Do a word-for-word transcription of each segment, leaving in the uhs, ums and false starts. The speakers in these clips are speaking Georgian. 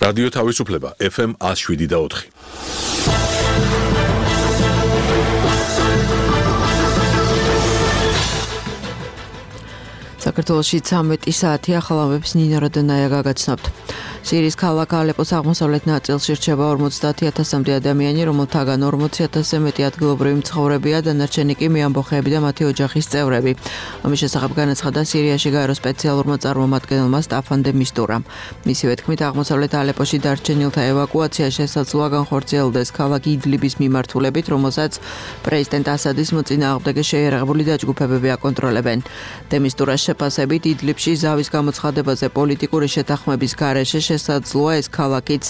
რადიო თავისუფლება ეფ ემ ათს შვიდი და ოთხი. საქართველოში ცამეტი საათი ახალ ამბებს ნინო რადონაია გაგაცნობთ. სირიის ქალაქ ალეპოს აღმოსავლეთ ნაწილში რჩება ორმოცდაათი ათასამდე ადამიანი, რომელთაგან ორმოცი ათასზე მეტი ადგილობრივი მცხოვრებია, დანარჩენი კი მეამბოხეები და მათი ოჯახის წევრები. ამის შესახებ განაცხადა სირიაში გაერო სპეციალურმა წარმომადგენელმა სტაფან დე მისტურამ. მისივე თქმით, აღმოსავლეთ ალეპოში დარჩენილთა ევაკუაცია შესაძლოა განხორციელდეს ქალაქ იდლიბის მიმართულებით, რომელსაც პრეზიდენტ ასადის მოწინააღმდეგე შეიარაღებული დაჯგუფებები აკონტროლებენ. დე მისტურას შეფასებით, იდლიბში ზავის გამოცხადებაზე პოლიტიკური შეთანხმების გარეშე შესაძლოა ეს ქალაქიც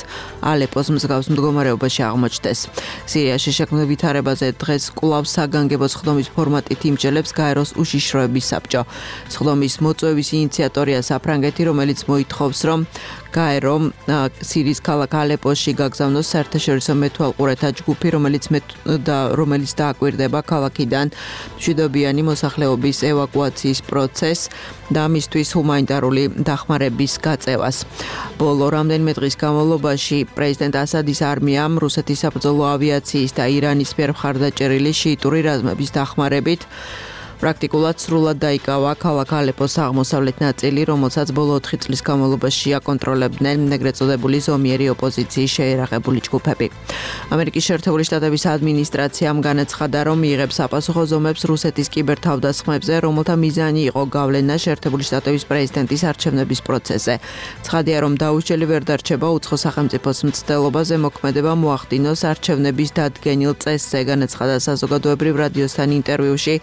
ალეპოს მსგავს მდგომარეობაში აღმოჩნდეს. სირიაში შექმნილ ვითარებაზე დღეს კვლავ საგანგებო სხდომის ფორმატით იმჯელებს გაეროს უშიშროების საბჭო. სხდომის მოწვევის ინიციატორია საფრანგეთი, რომელიც მოითხოვს, რომ გაერო სირიის ქალაქ ალეპოში გაგზავნოს საერთაშორისო მეთვალყურეთა ჯგუფი, რომელიც და რომელიც დააკვირდება ქალაქიდან მშვიდობიანი მოსახლეობის ევაკუაციის პროცესს და მისთვის ჰუმანიტარული დახმარების გაწევას. ბოლო რამდენიმე დღის განმავლობაში პრეზიდენტ ასადის არმიამ რუსეთის საბრძოლო ავიაციის და ირანის მიერ მხარდაჭერილი შიიტური რაზმების დახმარებით პრაქტიკულად სრულად დაიკავა ქალაქ ალეპოს აღმოსავლეთ ნაწილი, რომელსაც ბოლო ოთხი წლის განმავლობაში აკონტროლებდნენ ეგრეთ წოდებული ზომიერი ოპოზიციის შეიარაღებული ჯგუფები. ამერიკის შეერთებული შტატების ადმინისტრაციამ განაცხადა, რომ იღებს საპასუხო ზომებს რუსეთის კიბერთავდასხმებზე, რომელთა მიზანი იყო გავლენა შეერთებული შტატების პრეზიდენტის არჩევნების პროცესზე. ცხადია, რომ დაუსჯელი ვერ დარჩება უცხო სახელმწიფოს მცდელობაზე მოქმედება მოახდინოს არჩევნების დადგენილ წესზე, განაცხადა საზოგადოებრივ რადიოსთან ინტერვიუში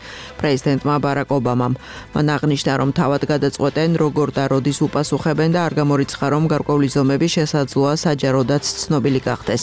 პრეზიდენტ პრეზიდენტმა ბარაკ ობამამ. მან აღნიშნა, რომ თავად გადაწყვეტენ, როგორ და როდის უპასუხებენ და არ გამორიცხა, რომ გარკვეული ზომები შესაძლოა საჯაროდაც ცნობილი გახდეს.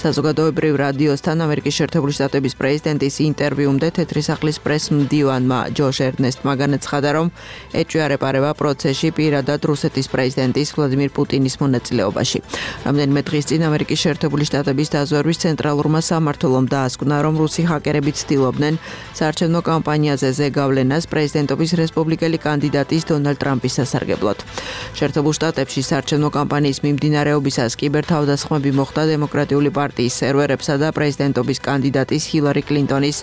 საზოგადოებრივ რადიოსთან ამერიკის შეერთებული შტატების პრეზიდენტის ინტერვიუმდე თეთრი სახლის პრეს-მდივანმა ჯოშ ერნესტმა განაცხადა, რომ ეჭვია პროცესში პირადად რუსეთის პრეზიდენტის ვლადიმირ პუტინის მონაწილეობაში. რამდენიმე დღის წინ ამერიკის შეერთებული შტატების დაზვერვის ცენტრალურმა სამმართველომ დაასკვნა, რომ რუსი ჰაკერები ცდილობდნენ საარჩევნო კამპანიაზე ზეგავლენას პრეზიდენტობის რესპუბლიკელი კანდიდატის დონალდ ტრამპის სასარგებლოდ. შეერთებულ შტატებში საარჩევნო კამპანიის მიმდინარეობისას კიბერთავდასხმები მოხდა დემოკრატიული პარტიის სერვერებსა და პრეზიდენტობის კანდიდატის ჰილარი კლინტონის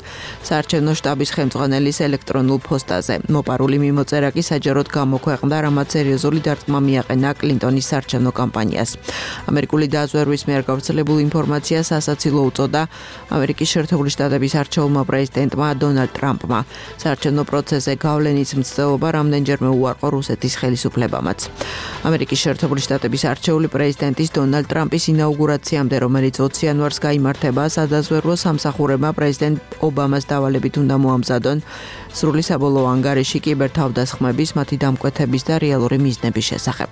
საარჩევნო შტაბის ხელმძღვანელის ელექტრონულ ფოსტაზე. მოპარული მიმოწერა კი საჯაროდ გამოქვეყნდა, რამაც სერიოზული დარტყმა მიაყენა კლინტონის საარჩევნო კამპანიას. ამერიკული დაზვერვის მიერ გავრცელებულ ინფორმაციას ასაცილო უწოდა ამერიკის შეერთებული შტატების არჩეულმა პრეზიდენტმა დონალდ ტრამპმა. საარჩევნო პროცესზე გავლენის მცდელობა რამდენჯერმე უარყო რუსეთის ხელისუფლებამაც. ამერიკის შეერთებული შტატების არჩეული პრეზიდენტის დონალდ ტრამპის ინაუგურაციამდე, რომელიც ოცი იანვარს გაიმართება, სადაზვერვო სამსახურებმა პრეზიდენტ ობამას დავალებით უნდა მოამზადონ სრული საბოლოო ანგარიში კიბერთავდასხმების, მათი დამკვეთების და რეალური მიზნების შესახებ.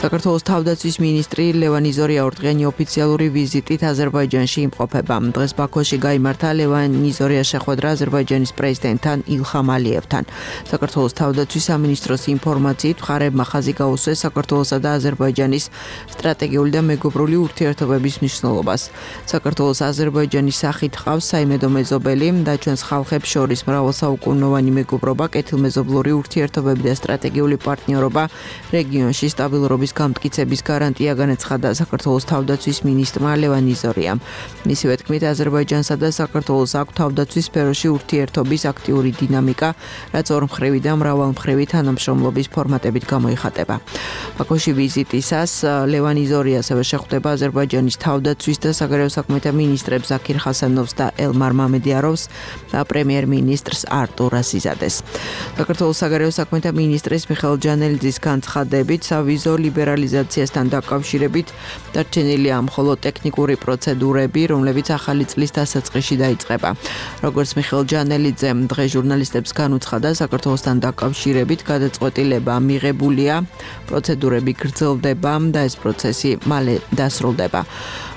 საქართველოს თავდაცვის მინისტრი ლევან იზორია ორდღიანი ოფიციალური ვიზიტით აზერბაიჯანში იმყოფება. დღეს ბაქოში გაიმართა ლევან იზორიას შეხვედრა აზერბაიჯანის პრეზიდენტთან ილხამ ალიევთან. საქართველოს თავდაცვის სამინისტროს ინფორმაციით, მხარეებმა ხაზი გაუსვეს საქართველოსა და აზერბაიჯანის სტრატეგიული და მეგობრული ურთიერთობების მნიშვნელობას. საქართველოს აზერბაიჯანის სახით ჰყავს საიმედო მეზობელი და ჩვენს ხალხებს შორის მრავალსაუკუნოვანი მეგობრობა, კეთილმეზობლური ურთიერთობები და სტრატეგიული პარტნიორობა რეგიონში სტაბილურობის გამტკიცების გარანტია, განაცხადა საქართველოს თავდაცვის მინისტრმა ლევან იზორიამ. მისივე თქმით, აზერბაიჯანსა და საქართველოს აქვს თავდაცვის სფეროში ურთიერთობის აქტიური დინამიკა, რაც ორმხრივი და მრავალმხრივი თანამშრომლობის ფორმატებით გამოიხატება. ბაქოში ვიზიტისას ლევან იზორია ასევე შეხვდება აზერბაიჯანის თავდაცვის და საგარეო საქმეთა მინისტრებს ზაქირ ხასანოვს და ელმარ მამედიაროვს და პრემიერ-მინისტრს არტურ ასიზადეს. საქართველოს საგარეო საქმეთა მინისტრის მიხეილ ჯანელიძის განცხადებით, სავიზო ლიბერალიზაციასთან დაკავშირებით დარჩენილია მხოლოდ ტექნიკური პროცედურები, რომლებიც ახალი წლის დასაწყისში დაიწყება. როგორც მიხეილ ჯანელიძე დღეს ჟურნალისტებს განუცხადა, საქართველოსთან დაკავშირებით გადაწყვეტილება მიღებულია, პროცედურები გრძელდება და ეს პროცესი მალე დასრულდება.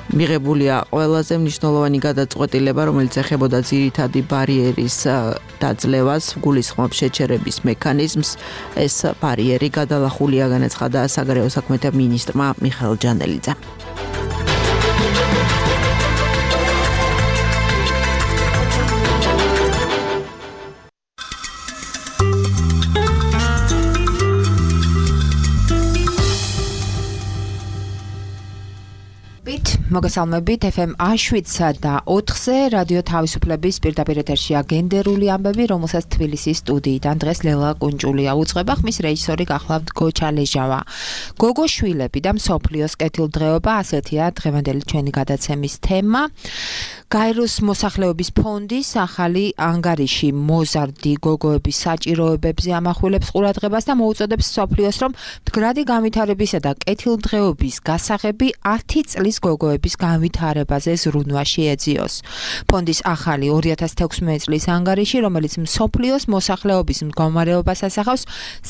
მიღებულია ყველაზე მნიშვნელოვანი გადაწყვეტილება, რომელიც ეხებოდა ძირითადი ბარიერის დაძლევას, გულისხმობს შეჩერების მექანიზმს. ეს ბარიერი გადალახულია, განაცხადა საგარეო საქმეთა მინისტრმა მიხეილ ჯანელიძემ. მოგესალმებით ეფ ემ შვიდსა და ოთხზე რადიო თავისუფლების პირდაპირ ეთერშია გენდერული ამბები, რომელსაც თბილისის სტუდიიდან დღეს ლელა კუნჭულია უწყება, ხმის რეჟისორი გახლავთ გოჩა ლეჟავა. გოგო შვილები და მსოფლიოს კეთილდღეობა, ასეთია დღევანდელი ჩვენი გადაცემის თემა. გაეროს მოსახლეობის ფონდის ახალი ანგარიში მოზარდი გოგოების საჭიროებებზე ამახვილებს ყურადღებას და მოუწოდებს მსოფლიოს, რომ მდგრადი განვითარებისა და კეთილდღეობის გასაღები ათი წლის გოგოების განვითარებაზე ზრუნვა შეეძიოს. ფონდის ახალი ორი ათას თექვსმეტი წლის ანგარიში, რომელიც მსოფლიოს მოსახლეობის მდგომარეობას ასახავს,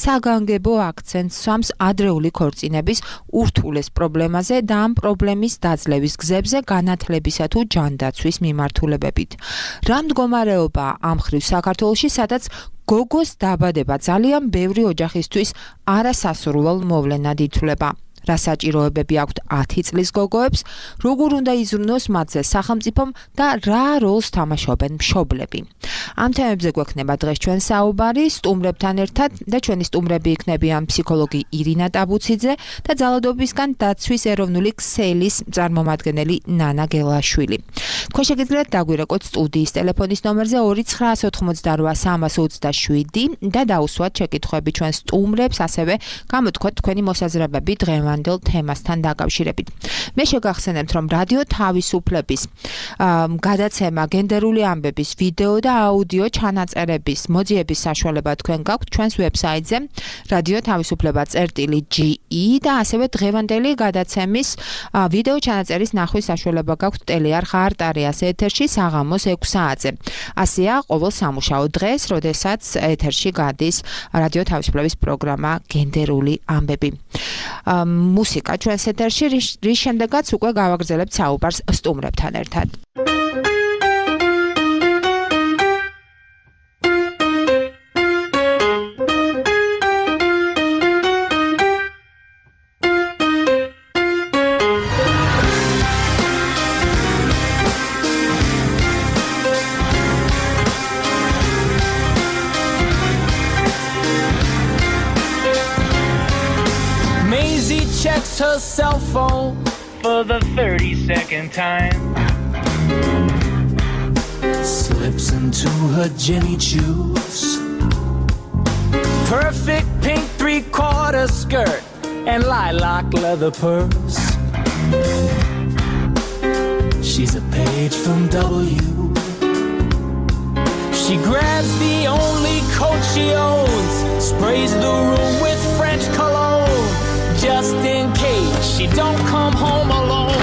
საგანგებო აქცენტს სვამს ადრეული ქორწინების ურთულეს პრობლემაზე და ამ პრობლემის დაძლევის გზებზე განათლებისა თუ ჯანდაცვის მიმართულებებით. რა მდგომარეობა ამ ხრივ საქართველოში, სადაც გოგოს დაბადება ძალიან ბევრი ოჯახისთვის არასასურველ მოვლენად ითვლება. რა საჭიროებები აქვთ ათი წლის გოგოებს, როგორ უნდა იზრუნოს მათზე სახელმწიფომ და რა როლს თამაშობენ მშობლები. ამ თემებზე გვექნება დღეს ჩვენ საუბარი სტუმრებთან ერთად და ჩვენი სტუმრები იქნებიან ფსიქოლოგი ირინა ტაბუციძე და ძალადობისგან დაცვის ეროვნული ქსელის წარმომადგენელი ნანა გელაშვილი. თქვენ შეგიძლიათ დაგვირეკოთ სტუდიის ტელეფონის ნომერზე ორი ცხრა ოთხმოცდარვა სამას ოცდაშვიდი და დაუსვათ შეკითხვები ჩვენ სტუმრებს, ასევე გამოთქვათ თქვენი მოსაზრებები დღევანდელ თემასთან დაკავშირებით. მე შეგახსენებთ, რომ რადიო თავისუფლების გადაცემა გენდერული ამბების ვიდეო და აუდიო ჩანაწერების მოძიების საშუალება თქვენ გაქვთ ჩვენს ვებსაიტზე რადიო თავისუფლება წერტილი ჯი ი და ასევე დღევანდელი გადაცემის ვიდეო ჩანაწერის ნახვის საშუალება გაქვთ ტელეარხ არტარიას ეთერში საღამოს ექვს საათზე. ასეა ყოველ სამუშაო დღეს, როდესაც ეთერში გადის რადიო თავისუფლების პროგრამა გენდერული ამბები. მუსიკა ჩვენს ეთერში, რის შემდეგაც უკვე გავაგრძელებთ საუბარს სტუმრებთან ერთად. Checks her cell phone for the thirty-second time. Slips into her Jenny shoes. Perfect pink three-quarter skirt and lilac leather purse. She's a page from W. She grabs the only coat she owns, sprays the room with French cologne. Just in case she don't come home alone.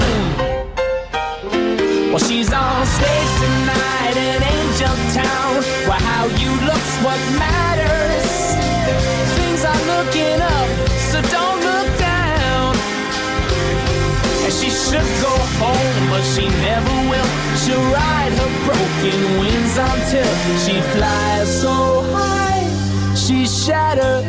Well, she's on stage tonight in Angel Town, where how you look's what matters. Things are looking up, so don't look down. And she should go home, but she never will. She'll ride her broken wings until she flies so high, she's shattered.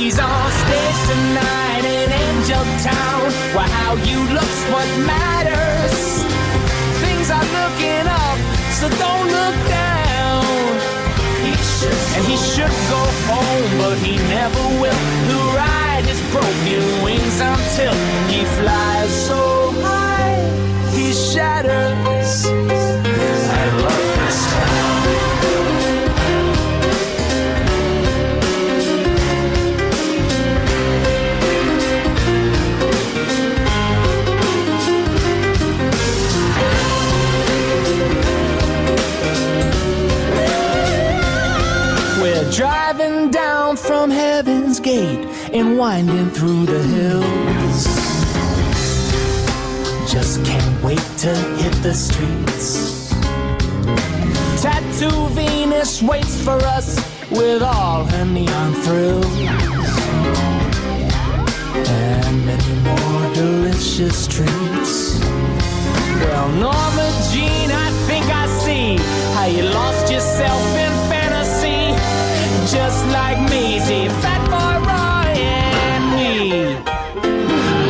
He's on stage tonight in Angel Town, where how you look's what matters. Things are looking up, so don't look down. He should, and he should go home, but he never will. He'll ride his broken wings until he flies so high, he shatters. I love this town. Driving down from Heaven's Gate and winding through the hills. Just can't wait to hit the streets. Tattoo Venus waits for us with all her neon thrills. And many more delicious treats. Well, Norma Jean, I think I see how you lost yourself in fantasy. Just like Maisie, Fat Boy Roy and me.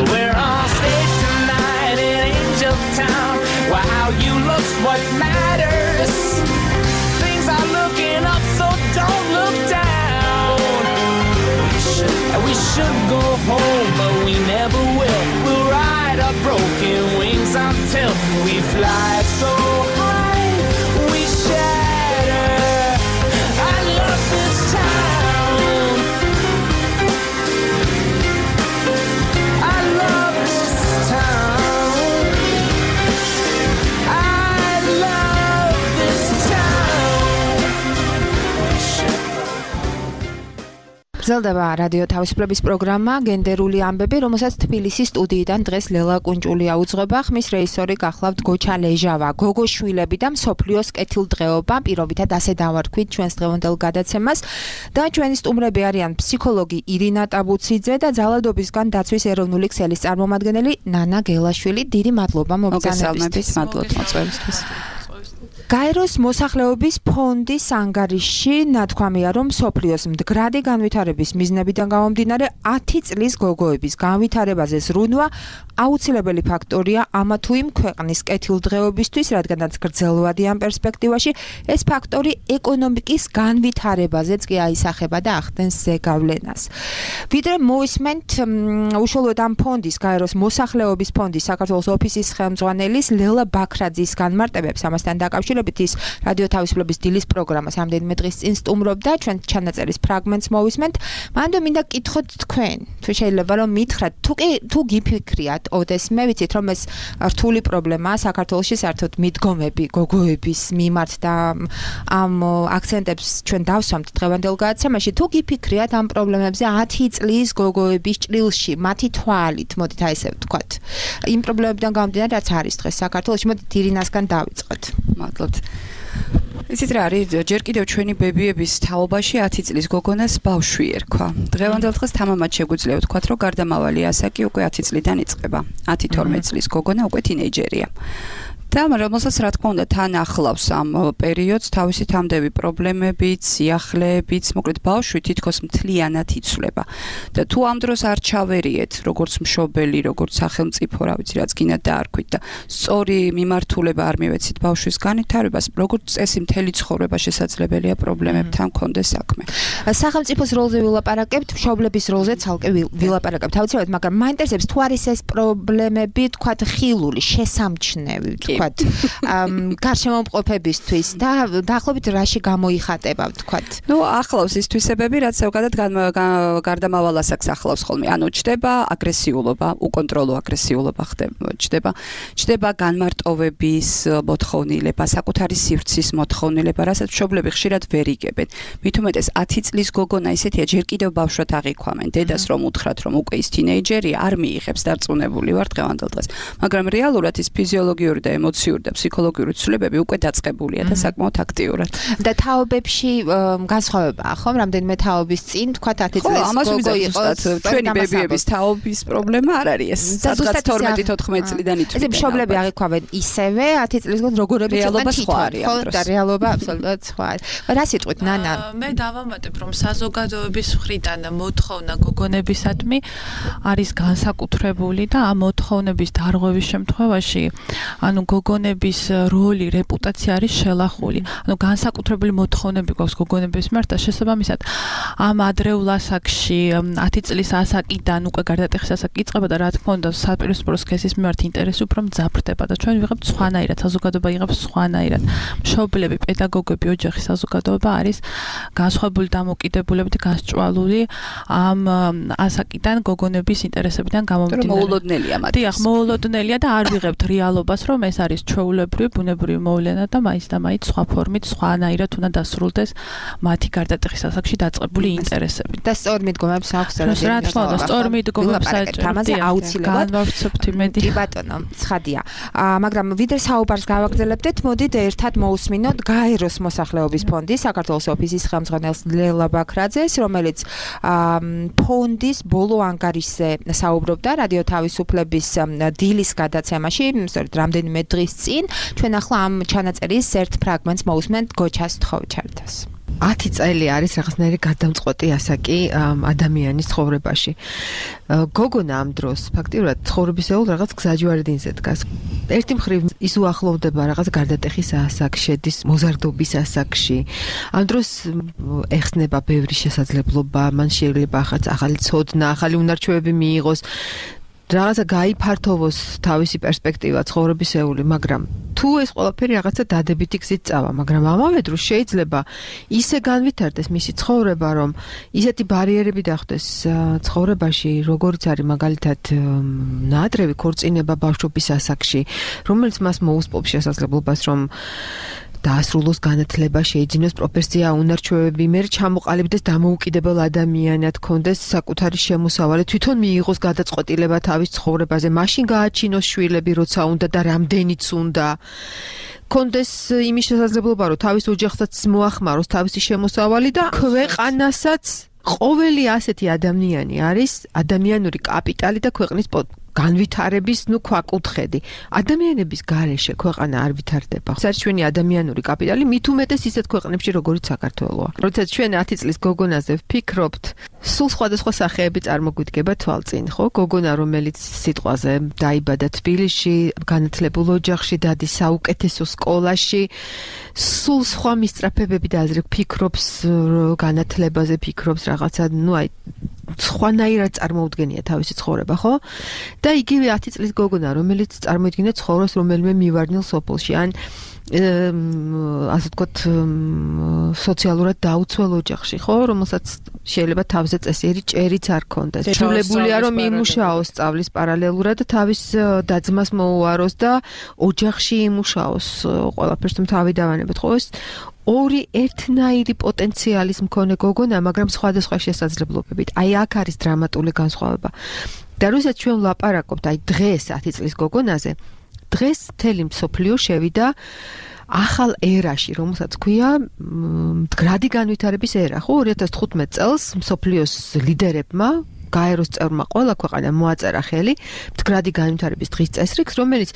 We're on stage tonight in Angel Town, where how you look's what matters. Things are looking up, so don't look down. We should, we should go home, but we never will. We'll ride broken wings until we fly so high we shatter. I love this town. I love this town. I love this town. გრძელდება რადიო თავისუფლების პროგრამა გენდერული ამბები, რომელსაც თბილისის სტუდიიდან დღეს ლელა კუნჭულია უძღვება. ხმის რეჟისორი გახლავთ გოჩა ლეჟავა. გოგოშვილები და მსოფლიოს კეთილდღეობა პირობითად ასე დავარქვით ჩვენს დღევანდელ გადაცემას და ჩვენი სტუმრები არიან ფსიქოლოგი ირინა ტაბუციძე და ძალადობისგან დაცვის ეროვნული ქსელის წარმომადგენელი ნანა გელაშვილი. დიდი მადლობა მოგზაურობისთვის. მადლობთ მოწვევისთვის. გაეროს მოსახლეობის ფონდის ანგარიშში ნათქვამია, რომ მსოფლიოს მდგრადი განვითარების მიზნებიდან გამომდინარე ათი წლის გოგოების განვითარებაზე ზრუნვა აუცილებელი ფაქტორია ამა თუ იმ ქვეყნის კეთილდღეობისთვის, რადგანაც გრძელვადი ამ პერსპექტივაში ეს ფაქტორი ეკონომიკის განვითარებაზეც კი აისახება და ახდენს ზეგავლენას. ვიდრე მოვისმენთ უშუალოდ ამ ფონდის, გაეროს მოსახლეობის ფონდის საქართველოს ოფისის ხელმძღვანელის ლელა ბაქრაძის განმარტებებს ამასთან დაკავშირებით ის რადიო თავისუფლების დილის პროგრამას ამდენიმე დღის წინ სტუმრობდა, ჩვენ ჩანაწერის ფრაგმენტს მოვისმენთ. მანდ მინდა გითხოთ თქვენ, თუ შეიძლება რომ მითხრათ, თუ კი თუ გიფიქრიათ, ოდეს მე ვიცით რომ ეს რთული პრობლემაა საქართველოში საერთოდ მიდგომები გოგოების მიმართ და ამ აქცენტებს ჩვენ დავსვამთ დღევანდელ გადაცემაში, თუ გიფიქრიათ ამ პრობლემებზე ათი წლის გოგოების ჭრილში, მათი თვალით, მოდით აი ესე ვთქვათ. იმ პრობლემებიდან გამომდინარე, რაც არის დღეს საქართველოში, მოდით ირინასგან დავიწყოთ. მადლობთ. იცით რა არის, ჯერ კიდევ ჩვენი ბებიების თაობაში ათი წლის გოგონას ბავშვი ერქვა. დღევანდელ დღეს თამამად შეგვიძლია ვთქვათ, რომ გარდამავალი ასაკი უკვე ათი წლიდან იწყება. ათი თორმეტ წლის გოგონა უკვე თინეიჯერია. და რომელსაც რა თქმა უნდა თან ახლავს ამ პერიოდს თავისი თამდები პრობლემებით, სიახლეებით, მოკლედ ბავშვი თითქოს მთლიანად იცვლება. და თუ ამ დროს არ ჩავერიეთ, როგორც მშობელი, როგორც სახელმწიფო, რა ვიცი, რაც გინდათ დაარქვით და სწორი მიმართულება არ მივეცით ბავშვის განვითარებას, როგორც წესი მთელი ცხოვრება შესაძლებელია პრობლემებთან კონდეს საქმე. სახელმწიფოს როლზე ვილაპარაკებთ, მშობლების როლზე ცალკე ვილაპარაკებთ. თავისუფლად, მაგრამ მაინტერესებს თუ არის ეს პრობლემები, თქვათ, ხილული, შესამჩნევი, თქვათ გარშემომყოფებისთვის და დაახლოებით რაში გამოიხატება ვთქვათ. ნუ ახლავს ის თვისებები, რაც ზოგადად გარდამავალ ასაკს ახლავს ხოლმე. ანუ ჩდება აგრესიულობა, უკონტროლო აგრესიულობა ხდება, ჩდება, ჩდება განმარტოვების მოთხოვნილება, საკუთარი სივრცის მოთხოვნილება, რასაც მშობლები ხშირად ვერ იგებენ. მით უმეტეს ათი წლის გოგონა ისეთია, ჯერ კიდევ ბავშვად აღიქვამენ. დედას რომ უთხრათ, რომ უკვე ის თინეიჯერია, არ მიიღებს, დარწმუნებული ვარ დღევანდელ დღეს. მაგრამ რეალურად ის ფიზიოლოგიური და ემოციური და ფსიქოლოგიური ცვლილებები უკვე დაწყებულია და საკმაოდ აქტიურად. და თაობებში განსხვავებაა, ხო? რამდენიმე თაობის წინ თქვათ ათი წლის გოგო იყოს. ჩვენი ბებიების თაობის პრობლემა არ არის ეს. სადღაც თორმეტ თოთხმეტ წლიდან იწვია. ეს მშობლები აღიქვამენ ისევე ათი წლის გოგო როგორები რეალობა სხვა არის. ხო, და რეალობა აბსოლუტურად სხვა არის. რა სიტყვით, ნანა? მე დავამატებ, რომ საზოგადოების მხრიდან მოთხოვნა გოგონებისადმი არის განსაკუთრებული და ამ მოთხოვნების დარღვევის შემთხვევაში ანუ გოგონების როლი, რეპუტაცია არის შელახული. ანუ განსაკუთრებული მოთხოვნები გვაქვს გოგონების მიმართ და შესაბამისად ამ ადრეულ ასაკში ათი წლის ასაკიდან უკვე გარდატეხის ასაკი იწყება და რა თქმა უნდა საპირისპირო სქესის მიმართ ინტერესი უფრო მძაფრდება და ჩვენ ვიღებთ სხვანაირად, საზოგადოება იღებს სხვანაირად. მშობლები, პედაგოგები, ოჯახი, საზოგადოება არის განსხვავებული დამოკიდებულებით გასჭვალული ამ ასაკიდან გოგონების ინტერესებიდან გამომდინარე. მოულოდნელია მათ. დიახ, მოულოდნელია და არ ვიღებთ რეალობას, რომ ეს არის ჩვეულებრივი, ბუნებრივი მოვლენა და მაინც და მაინც სხვა ფორმით, სხვანაირად უნდა დასრულდეს მათი გარდატეხის ასაკში დაწყებული ინტერესები. და სწორ მიდგომებს აქვს რა თქმა უნდა, სწორ მიდგომებს ამაზე აუცილებლად განვავრცობთ იმედი. კი ბატონო, ცხადია. მაგრამ ვიდრე საუბარს გავაგრძელებდეთ, მოდით ერთად მოусმინოთ გაეროს მოსახლეობის ფონდის საქართველოს ოფისის ხელმძღვანელს ლელა ბაქრაძეს, რომელიც ფონდის ბოლო ანგარიშზე საუბრობდა რადიო თავისუფლების დილის გადაცემაში, სწორედ რამდენიმე დღის წინ. ჩვენ ახლა ამ ჩანაწერის ერთ ფრაგმენტს მოусმენთ გოჩას თხოვჩარდას. ათი წელი არის რაღაცნაირი გადამწყვეტი ასაკი ადამიანის ცხოვრებაში. გოგონა ამ დროს ფაქტიურად ცხოვრებისეულ რაღაც გზაჯვარედინზე დგას. ერთი მხრივ ის უახლოვდება რაღაც გარდატეხის ასაკს, შედის მოზარდობის ასაკში. ამ დროს ეხსნება ბევრი შესაძლებლობა, მან შეიძლება ახაც ახალი ცოდნა, ახალი უნარჩვევები მიიღოს. რაღაცა გაიფართოვოს თავისი პერსპექტივა ცხოვრებისეული, მაგრამ თუ ეს ყველაფერი რაღაცა დადებითი გზით წავა, მაგრამ ამავე დროს შეიძლება ისე განვითარდეს მისი ცხოვრება, რომ ისეთი ბარიერები დახდეს ცხოვრებაში, როგორც არის მაგალითად ნაადრევი ქორწინება ბავშვობის ასაკში, რომელიც მას მოუსწრებს შესაძლებლობას, რომ დაასრულოს განათლება, შეიძინოს პროფესია, უნარჩვევები, მე ჩამოყალიბდეს დამოუკიდებელ ადამიანად, კონდეს საკუთარი შემოსავალი, თვითონ მიიღოს გადაწყვეტილება თავის ცხოვრებაზე, მაშინ გააჩინოს შვილები, როცა უნდა და რამდენიც უნდა. კონდეს იმის შესაძლებლობა, რომ თავის ოჯახსაც მოახმაროს თავისი შემოსავალი და ქვეყანასაც ყოველი ასეთი ადამიანი არის ადამიანური კაპიტალი და ქვეყნის განვითარების, ნუ ქვაკუთხედი. ადამიანების გარეშე ქვეყანა არ ვითარდება. საერთაშორისო ადამიანური კაპიტალი მით უმეტეს ისეთ ქვეყნებში, როგორიც საქართველოა. როდესაც ჩვენ ათი წლის გოგონაზე ვფიქრობთ, სულ სხვადასხვა სახეები წარმოგვიდგება თვალწინ, ხო? გოგონა, რომელიც სიტყვაზე დაიბადა თბილისში, განათლებულ ოჯახში, დადის საუკეთესო სკოლაში, სულ სხვა მისწრაფებები და აზრი ფიქრობს განათლებაზე, ფიქრობს რაღაცა, ნუ აი სხვანაირად წარმოუდგენია თავისი ცხოვრება, ხო? და იგივე ათი წლის გოგონა, რომელიც წარმოიდგინეთ ცხოვრობს რომელიმე მივარდნილ სოფელში, ან ასე ვთქვათ, სოციალურად დაუცველ ოჯახში, ხო, რომელსაც შეიძლება თავზე წესიერი ჭერიც არ ქონდეს. ჩულებულია რომ იმუშაოს სწავლის პარალელურად და თავის დაძმას მოუაროს და ოჯახში იმუშაოს, ყველაფერს თუ თავი დავანებოთ, ხო? ეს ორი ერთნაირი პოტენციალის მქონე გოგონა, მაგრამ სხვადასხვა შესაძლებლობებით. აი აქ არის დრამატული განსხვავება. და როდესაც ჩვენ ვლაპარაკობთ აი დღეს ათი წლის გოგონაზე, დღეს მთელი მსოფლიო შევიდა ახალ ერაში, რომელსაც ქვია მდგრადი განვითარების ერა, ხო? ორი ათას თხუთმეტ წელს მსოფლიოს ლიდერებმა გაეროს წევრმა ყველა ქვეყანამ მოაწერა ხელი მდგრადი განვითარების დღის წესრიგს, რომელიც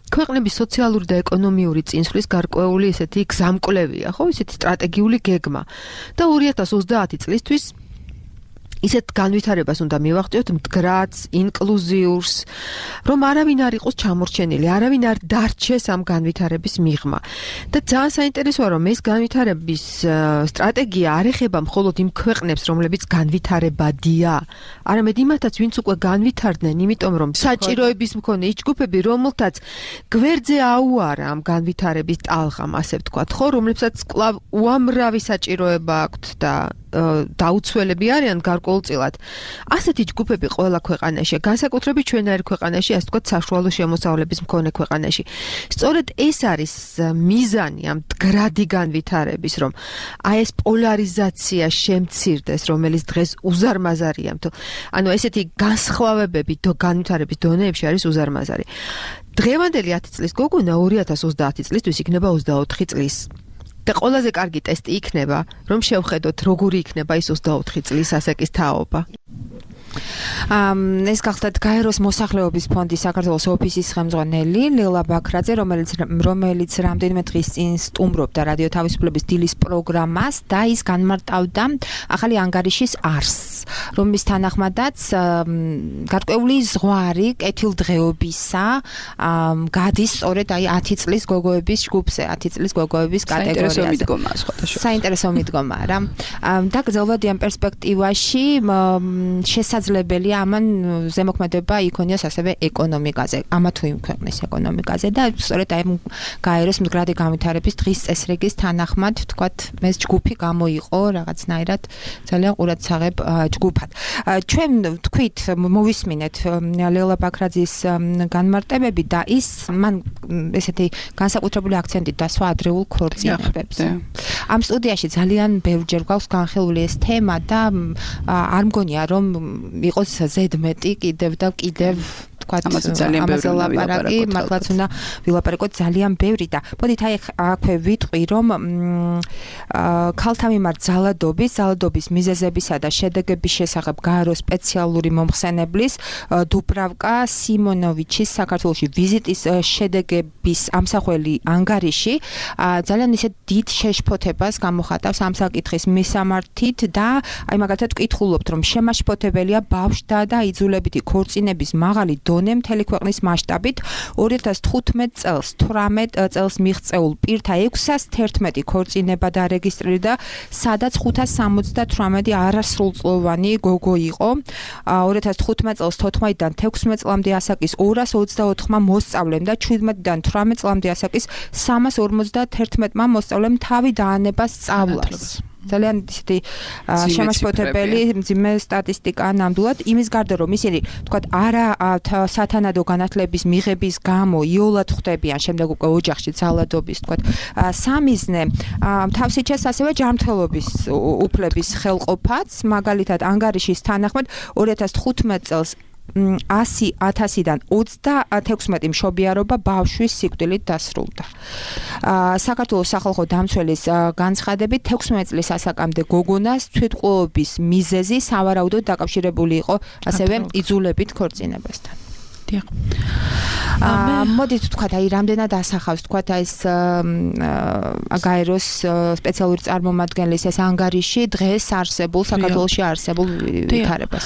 ქვეყნების სოციალური და ეკონომიური წინსვლის გარკვეული ესეთი გზამკვლევია, ხო? ესეთი სტრატეგიული გეგმა. და ორი ათას ოცდაათი წლისთვის ისეთ განვითარებას უნდა მივახციოთ მდგრადს, ინკლუზიურს, რომ არავინ არ იყოს ჩამორჩენილი, არავინ არ დარჩეს ამ განვითარების მიღმა. და ძალიან საინტერესოა, რომ ეს განვითარების სტრატეგია არ ეხება მხოლოდ იმ ქვეყნებს, რომლებიც განვითარებადია, არამედ იმათაც, ვინც უკვე განვითარდნენ, იმიტომ რომ საჭიროების მქონე იჯგუფები, რომელთაც გვერდზე აუარა ამ განვითარების ტალღამ, ასე ვთქვათ, ხო, რომლებსაც კვლავ უამრავი საჭიროება აქვთ და დაუცველები არიან გარკვეულწილად. ასეთი ჯგუფები ყველა ქვეყანაში, განსაკუთრებით ჩვენაერ ქვეყანაში, ასე ვთქვათ, საშუალო შემოსავლების მქონე ქვეყანაში. სწორედ ეს არის მიზანი ამ მდგრადი განვითარების, რომ აი ეს პოლარიზაცია შემცირდეს, რომელიც დღეს უზარმაზარია. ანუ ესეთი განსხვავებები განვითარების დონეებში არის უზარმაზარი. დღევანდელი ათი წლის გოგონა ორი ათას ოცდაათი წლისთვის იქნება ოცდაოთხი წლის. და ყველაზე კარგი ტესტი იქნება, რომ შევხედოთ, როგორი იქნება ის ოცდაოთხი წლის ასაკის თაობა. ამ ეს გახლდათ გაეროს მოსახლეობის ფონდის საქართველოს ოფისის ხელმძღვანელი ლელა ბაქრაძე, რომელიც რომელიც რამდენიმე დღის წინ სტუმრობდა რადიო თავისუფლების დილის პროგრამას და ის განმარტავდა ახალი ანგარიშის არსს, რომლის თანახმადაც გარკვეული ზღვარი კეთილდღეობისა გადის სწორედ აი ათი წლის გოგოების ჯგუფზე, ათი წლის გოგოების კატეგორიაზე. საინტერესო მიდგომაა რა. და გრძელვადი ამ პერსპექტივაში შესაძლებელია ამან ზემოქმედება იქონიოს ასევე ეკონომიკაზე, ამა თუ იმ ქვეყნის ეკონომიკაზე და სწორედ აი გაეროს მდგრადი განვითარების დღის წესრიგის თანახმად, ვთქვათ, ეს ჯგუფი გამოიყო რაღაცნაირად ძალიან ყურადსაღებ ჯგუფად. ჩვენ თქვით, მოვისმინეთ ლელა ბაქრაძის განმარტებები და ის მან ესეთი განსაკუთრებული აქცენტი დასვა ადრეულ ქორწინებებზე. ამ სტუდიაში ძალიან ბევრჯერ გვაქვს განხილული ეს თემა და არ მგონია რომ იყოს ზედმეტი კიდევ და კიდევ თქვათ ამაზე ლაპარაკი, მართლაც უნდა ვილაპარაკოთ ძალიან ბევრი და მოდით აი აქვე ვიტყვი რომ ქალთა მიმართ ძალადობის, ძალადობის მიზეზებისა და შედეგების შესახებ გაეროს სპეციალური მომხსენებლის დუბრავკა სიმონოვიჩის საქართველოში ვიზიტის შედეგების ამსახველი ანგარიში ძალიან ისე დიდ შეშფოთებას გამოხატავს ამ საკითხის მისამართით და აი მაგალითად ვკითხულობთ რომ შემაშფოთებელია ბავშვთა და იძულებითი ქორწინების მაღალი დონე დონე მთელი ქვეყნის მასშტაბით ორი ათას თხუთმეტ წელს თვრამეტ წელს მიღწეულ პირთა ექვსას თერთმეტი ქორწინება დარეგისტრირდა, სადაც ხუთას სამოცდათვრამეტი არასრულწლოვანი გოგო იყო. ორი ათას თხუთმეტ წელს თოთხმეტიდან თექვსმეტ წლამდე ასაკის ორას ოცდაოთხმა მოსწავლემ და შვიდმეტიდან თვრამეტ წლამდე ასაკის სამას ორმოცდათერთმეტმა მოსწავლემ თავი დაანება სწავლას. ძალიან ისეთი შემაშფოთებელი მძიმე სტატისტიკაა ნამდვილად იმის გარდა რომ ისინი თქვათ არა სათანადო განათლების მიღების გამო იოლად ხვდებიან შემდეგ უკვე ოჯახში ძალადობის თქვათ სამიზნე თავს იჩენს ასევე ჯანმრთელობის უფლების ხელყოფაც მაგალითად ანგარიშის თანახმად ორი ათას თხუთმეტ წელს ასი ათასიდან ოცდათექვსმეტი მშობიარობა ბავშვის სიკვდილით დასრულდა. საქართველოს სახალხო დამცველის განცხადებით თექვსმეტ წლის ასაკამდე გოგონას თვითმკვლელობის მიზეზი სავარაუდოდ დაკავშირებული იყო ასევე იძულებით ქორწინებასთან. მოდით თქვათ აი რამდენად ასახავს თქვათ აი ეს გაეროს სპეციალური წარმომადგენლის ეს ანგარიში დღეს არსებულ საქართველოში არსებულ ვითარებას.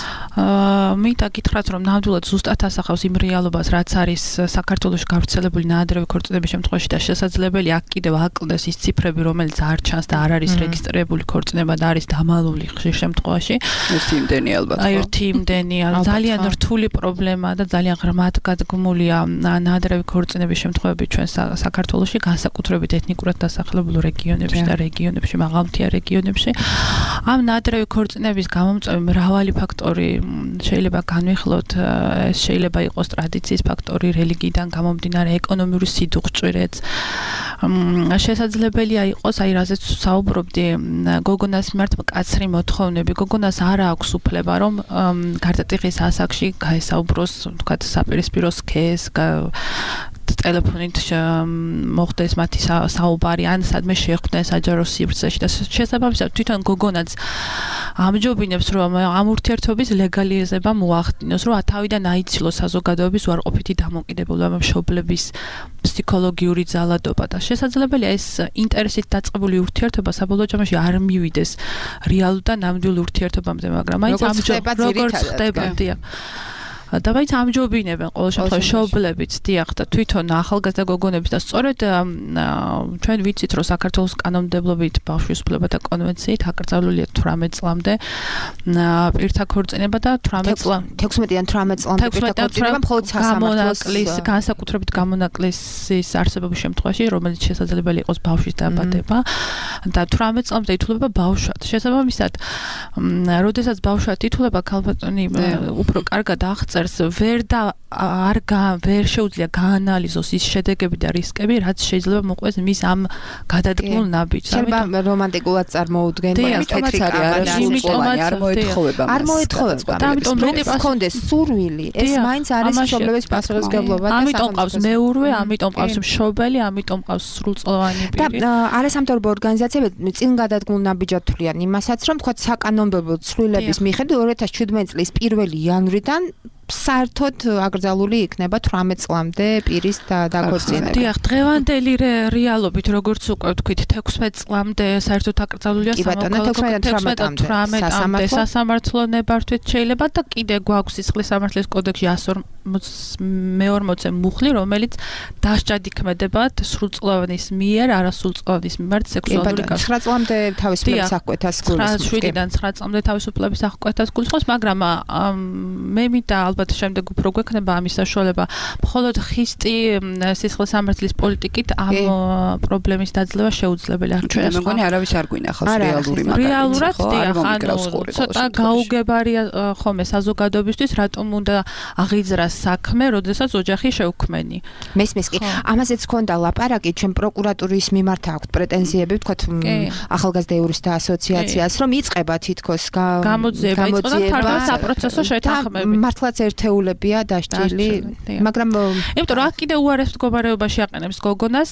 მინდა გითხრათ რომ ნამდვილად ზუსტად ასახავს იმ რეალობას რაც არის საქართველოში გავრცელებული ნაადრევი ქორწინების შემთხვევაში და შესაძლებელი აქ კიდევ აკლდეს ის ციფრები რომელიც არ ჩანს და არ არის რეგისტრირებული ქორწინება და არის დამალული ხშირ შემთხვევაში. ერთი იმდენი ალბათ. აი ერთი იმდენი ძალიან რთული პრობლემაა და ძალიან მათ გადაგმულია ნაადრევი ქორწინების შემთხვევები ჩვენ საქართველოში განსაკუთრებით ეთნიკურად დასახლებულ რეგიონებში და რეგიონებში მაღალმთიან რეგიონებში ამ ნაადრევი ქორწინების გამომწვევი მრავალი ფაქტორი შეიძლება განვიხილოთ ეს შეიძლება იყოს ტრადიციის ფაქტორი რელიგიიდან გამომდინარე ეკონომიური სიდუხჭვირეც შესაძლებელია იყოს აი რაზეც საუბრობდი გოგონას მიმართ მკაცრი მოთხოვნები გოგონას არ აქვს უფლება რომ გარდატეხის ასაკში გაესაუბროს თქვათ საპირისპირო სქეს ტელეფონით მოხდეს მათი საუბარი ან სადმე შეხვდნენ საჯარო სივრცეში და შესაბამისად თვითონ გოგონაც ამჯობინებს რომ ამ ურთიერთობის ლეგალიზება მოახდინოს რომ თავიდან აიცილოს საზოგადოების უარყოფითი დამოკიდებულება მშობლების ფსიქოლოგიური ძალადობა და შესაძლებელია ეს ინტერესით დაწყებული ურთიერთობა საბოლოო ჯამში არ მივიდეს რეალურ და ნამდვილ ურთიერთობამდე მაგრამ მაინც ამჯობინებს როგორც ხდება დიახ და მაინც ამჯობინებენ ყოველ შემთხვევაში მშობლებიც დიახ და თვითონ ახალგაზრდა გოგონების და სწორედ ჩვენ ვიცით რომ საქართველოს კანონმდებლობით ბავშვის უფლებათა კონვენციით აკრძალულია თვრამეტ წლამდე პირთა ქორწინება და თვრამეტ წლამდე თექვსმეტიდან თვრამეტ წლამდე პირთა ქორწინება მხოლოდ სასამართლოს განსაკუთრებით გამონაკლისის არსებობის შემთხვევაში რომელიც შესაძლებელი იყოს ბავშვის დაბადება და თვრამეტ წლამდე ითვლება ბავშვად შესაბამისად როდესაც ბავშვად ითვლება ქალბატონი უფრო კარგად აღწერს ვერ და არ ვერ შეუძლია გაანალიზოს ის შედეგები და რისკები, რაც შეიძლება მოყვეს მის ამ გადადგმულ ნაბიჯს. შეიძლება რომანტიკულად წარმოუდგენია თეთრი კამარა, იმიტომაც არ მოეთხოვება. არ მოეთხოვება. ამიტომ მეტი გქონდეს სურვილი, ეს მაინც არის მშობლების პასუხისმგებლობა და ამიტომ ყავს მეურვე, ამიტომ ყავს მშობელი, ამიტომ ყავს სრულწლოვანი პირი. და არასამთავრობო ორგანიზაციები წინ გადადგმულ ნაბიჯად თვლიან იმასაც, რომ თქვა საკანონმდებლო ცვლილების მიხედვით ორი ათას შვიდმეტ წლის პირველი იანვრიდან საერთოდ აკრძალული იქნება თვრამეტ წლამდე პირის დაქორწინება. დიახ, დღევანდელი რეალობით როგორც უკვე ვთქვით, თექვსმეტ წლამდე საერთოდ აკრძალულია სამოქალაქო თექვსმეტამდე სასამართლო ნებართვით შეიძლება და კიდე გვაქვს სისხლის სამართლის კოდექსში εκατს მეორმოცე მუხლი, რომელიც დასჯადიქმედებათ სრულწლოვანის მიერ, არასრულწლოვანის მიმართ სექსუალური კავშირი. ცხრა წლამდე თავისუფლების აღკვეთას გულისხმობს. შვიდიდან ცხრა წლამდე თავისუფლების აღკვეთას გულისხმობს, მაგრამ მე მინდა ალბათ შემდეგ უფრო გვექნება ამის საშუალება. მხოლოდ ხისტი სისხლის სამართლის პოლიტიკით ამ პრობლემის დაძლევა შეუძლებელია. ჩვენ მეგონი არავის არ გვინახავს რეალური მაგალითი. რეალურად დიახ, ანუ ცოტა გაუგებარია ხომე საზოგადოებისთვის, რატომ უნდა აღიძრას საქმე, როდესაც ოჯახი შეუქმენი. მესმის კი. ამაზეც ქონდა ლაპარაკი, ჩვენ პროკურატურის მიმართ აქვს პრეტენზიები, ვთქვათ, ახალგაზრდა იურისტთა ასოციაციას, რომ იწყება თითქოს გამოძიება, იწყება თავად საპროცესო შეთანხმებით. მართლაც ერთეულებია დასჯილი, მაგრამ იმიტომ რომ აქ კიდე უარეს მდგომარეობაში აყენებს გოგონას,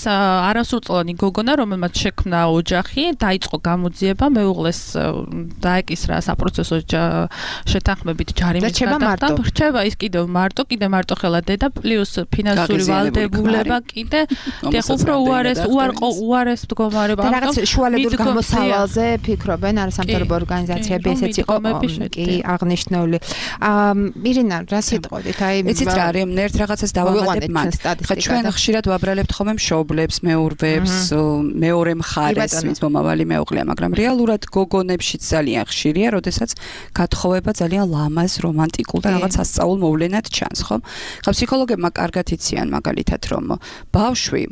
არასრულწლოვანი გოგონა, რომელმაც შექმნა ოჯახი, დაიწყო გამოძიება, მეუღლეს დაეკისრა საპროცესო შეთანხმებით ჯარიმის გადახდა. რჩება ის კიდევ მარტო კიდე მარტო ხელა დედა პლუს ფინანსური ვალდებულება კიდე და უფრო უარეს უარყო უარეს მდგომარეობა. და რაღაც შუალებრივ გამოსავალზე ფიქრობენ არა სამთავრობო ორგანიზაციები ესეც იყო კი აღნიშნული. აა მირინა რა სიტყვით აი იცით რა არის ერთ რაღაცას დავამატებ მან. ხა ჩვენ ხშირად ვაბრალებთ ხოლმე მშობლებს, მეურვებს, მეორე მხარეს, ვინც მომავალი მეუღლეა, მაგრამ რეალურად გოგონებშიც ძალიან ხშირია, როდესაც გათხოვება ძალიან ლამაზ, რომანტიკულ და რაღაც ასწაულ მოვლენად ჩანს, ხო? ხა ფსიქოლოგებმა კარგად იციან მაგალითად, რომ ბავშვი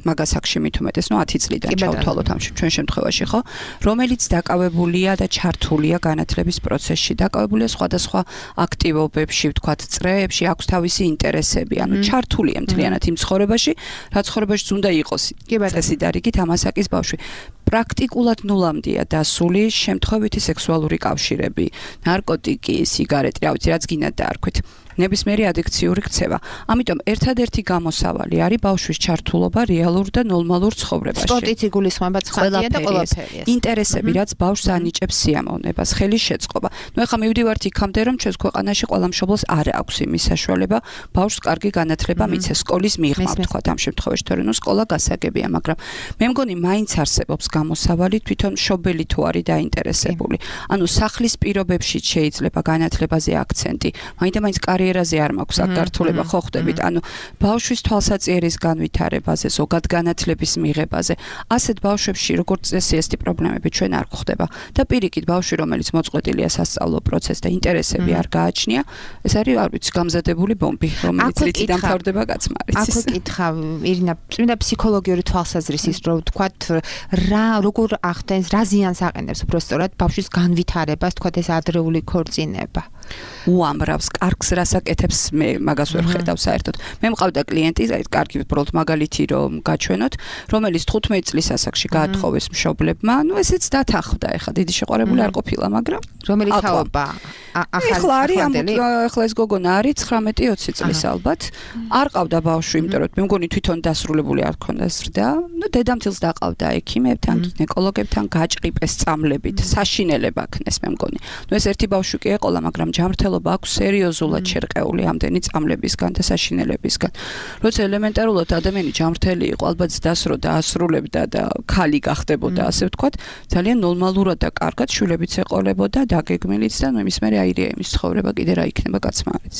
მაგას აქ შემით უმეტეს, ნუ ათი წლიდან ჩავთვალოთ ამ ჩვენ შემთხვევაში, ხო? რომელიც დაკავებულია და ჩართულია განათლების პროცესში, დაკავებულია სხვადასხვა აქტივობებში, ვთქვათ, წრეებში, აქვს თავისი ინტერესები, ანუ ჩართულია მთლიანად იმ ცხოვრებაში, რა ცხოვრებაშიც უნდა იყოს. წესი და რიგით ამასაკის ბავშვი. პრაქტიკულად ნულამდეა დასული შემთხვევითი სექსუალური კავშირები, ნარკოტიკი, სიგარეტი, რა ვიცი, რაც გინდა დაარქვით. ნებისმიერი ადიქციური ქცევა. ამიტომ ერთადერთი გამოსავალი არის ბავშვის ჩართულობა რეალურ და ნორმალურ ცხოვრებაში. სპორტიც იგულისხმება ცხადია და ყველაფერია. ინტერესები, რაც ბავშვს ანიჭებს სიამოვნებას, ხელის შეწყობა. ნუ ეხლა მივდივართ იქამდე, რომ ჩვენს ქვეყანაში ყველა მშობლს არ აქვს იმის საშუალება ბავშვს კარგი განათლება მიცეს სკოლის მიღმა, ვთქვათ ამ შემთხვევაში, თორემ ნუ სკოლა გასაგებია, მაგრამ მე მგონი მაინც არსებობს გამოსავალი თვითონ მშობელი თუ არის დაინტერესებული. ანუ სახლის პირობებში შეიძლება განათლებაზე აქცენტი, მაინდა-მაინც კარიერაზე არ მაქვს აქ გართულება ხო ხდებით, ანუ ბავშვის თვალსაწიერის განვითარებაზე, ზოგად განათლების მიღებაზე. ასეთ ბავშვებში როგორც წესი ესეთი პრობლემები ჩვენ არ გვხდება და პირიქით ბავშვი რომელიც მოწყვეტილია სასწავლო პროცესს და ინტერესები არ გააჩნია, ეს არის არ ვიცი გამზადებული ბომბი, რომელიც რითი დამთავრდება კაცმარიც. აქ ვკითხავ ირინა, წმინდა ფსიქოლოგიური თვალსაზრისით რომ ვთქვათ რა როგორ ახდენს, რა ზიანს აყენებს უბრალოდ ბავშვის განვითარებას, ვთქვათ ეს ადრეული ქორწინება. უამრავს კარგს რასაკეთებს მე მაგას ვერ ხედავ საერთოდ. მე მყავდა კლიენტი, აი კარგი უბრალოდ მაგალითი რომ გაჩვენოთ, რომელიც თხუთმეტი წლის ასაკში გაათხოვეს მშობლებმა, ну ესეც დათანხმდა, ეხლა დიდი შეყვარებული არ ყოფილა, მაგრამ რომელი თაობა ახლა არის ახლა ეს გოგონა არის ცხრამეტი ოცი წლის ალბათ. არ ყავდა ბავშვი, იმიტომ რომ მე მგონი თვითონ დასრულებული არ ქონდა ზრდა. ну დედამთილს დაყავდა ექიმებთან, გინეკოლოგებთან გაჭყიპეს წამლებით, საშინელება ქნეს მე მგონი. ну ეს ერთი ბავშვი კი ეყოლა, მაგრამ ჯანმრთელობა აქვს სერიოზულად შერყეული ამდენი წამლებისგან და საშინელებისგან. როცა ელემენტარულად ადამიანი ჯანმრთელი იყო, ალბათ დასროდა, ასრულებდა და ქალი გახდებოდა, ასე ვთქვათ, ძალიან ნორმალურად და კარგად შვილებიც ეყოლებოდა, დაგეგმილიც და ნუ იმის მერე აირია იმის ცხოვრება კიდე რა იქნება კაცმარიც.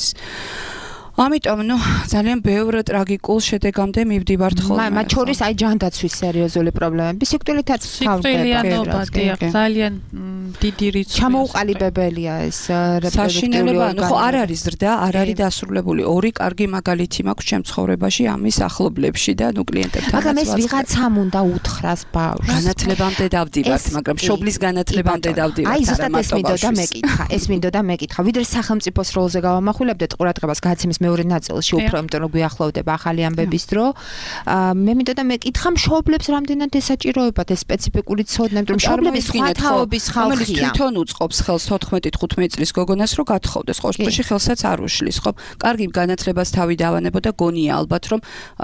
ამიტომ ნუ ძალიან ბევრ ტრაგიკულ შედეგამდე მივდივართ ხოლმე. მათ შორის აი ჯანდაცვის სერიოზული პრობლემები, სიკვდილითაც სიკვდილიანობა ძალიან დიდი რიცხვი. ჩამოუყალიბებელია ეს რეპროდუქტიული ორგანო. ხო არ არის ზრდა, არ არის დასრულებული. ორი კარგი მაგალითი მაქვს ჩემ ცხოვრებაში ამის ახლობლებში და ნუ კლიენტებთან. მაგრამ ეს ვიღაცამ უნდა უთხრას ბავშვს. განათლებამდე დავდივართ, მაგრამ შობლის განათლებამდე დავდივართ. აი ზუსტად ეს მინდოდა მეკითხა, ეს მინდოდა მეკითხა. ვიდრე სახელმწიფოს როლზე გავამახვილებდეთ ყურადღებას გადაცემის მეორე ნაწილში უფრო, იმიტომ რომ გვიახლოვდება ახალი ამბების დრო. მე მინდოდა მეკითხა მშობლებს რამდენად ესაჭიროებათ ეს სპეციფიკური ცოდნა, რომ მშობლები სხვა თაობის ხალხია. თვითონ უწყობს ხელს თოთხმეტი თხუთმეტი წლის გოგონას რომ გათხოვდეს, ხო, შემთხვევაში ხელსაც არ უშლის, ხო? კარგი განათლებას თავი დავანებოდა, გონია ალბათ რომ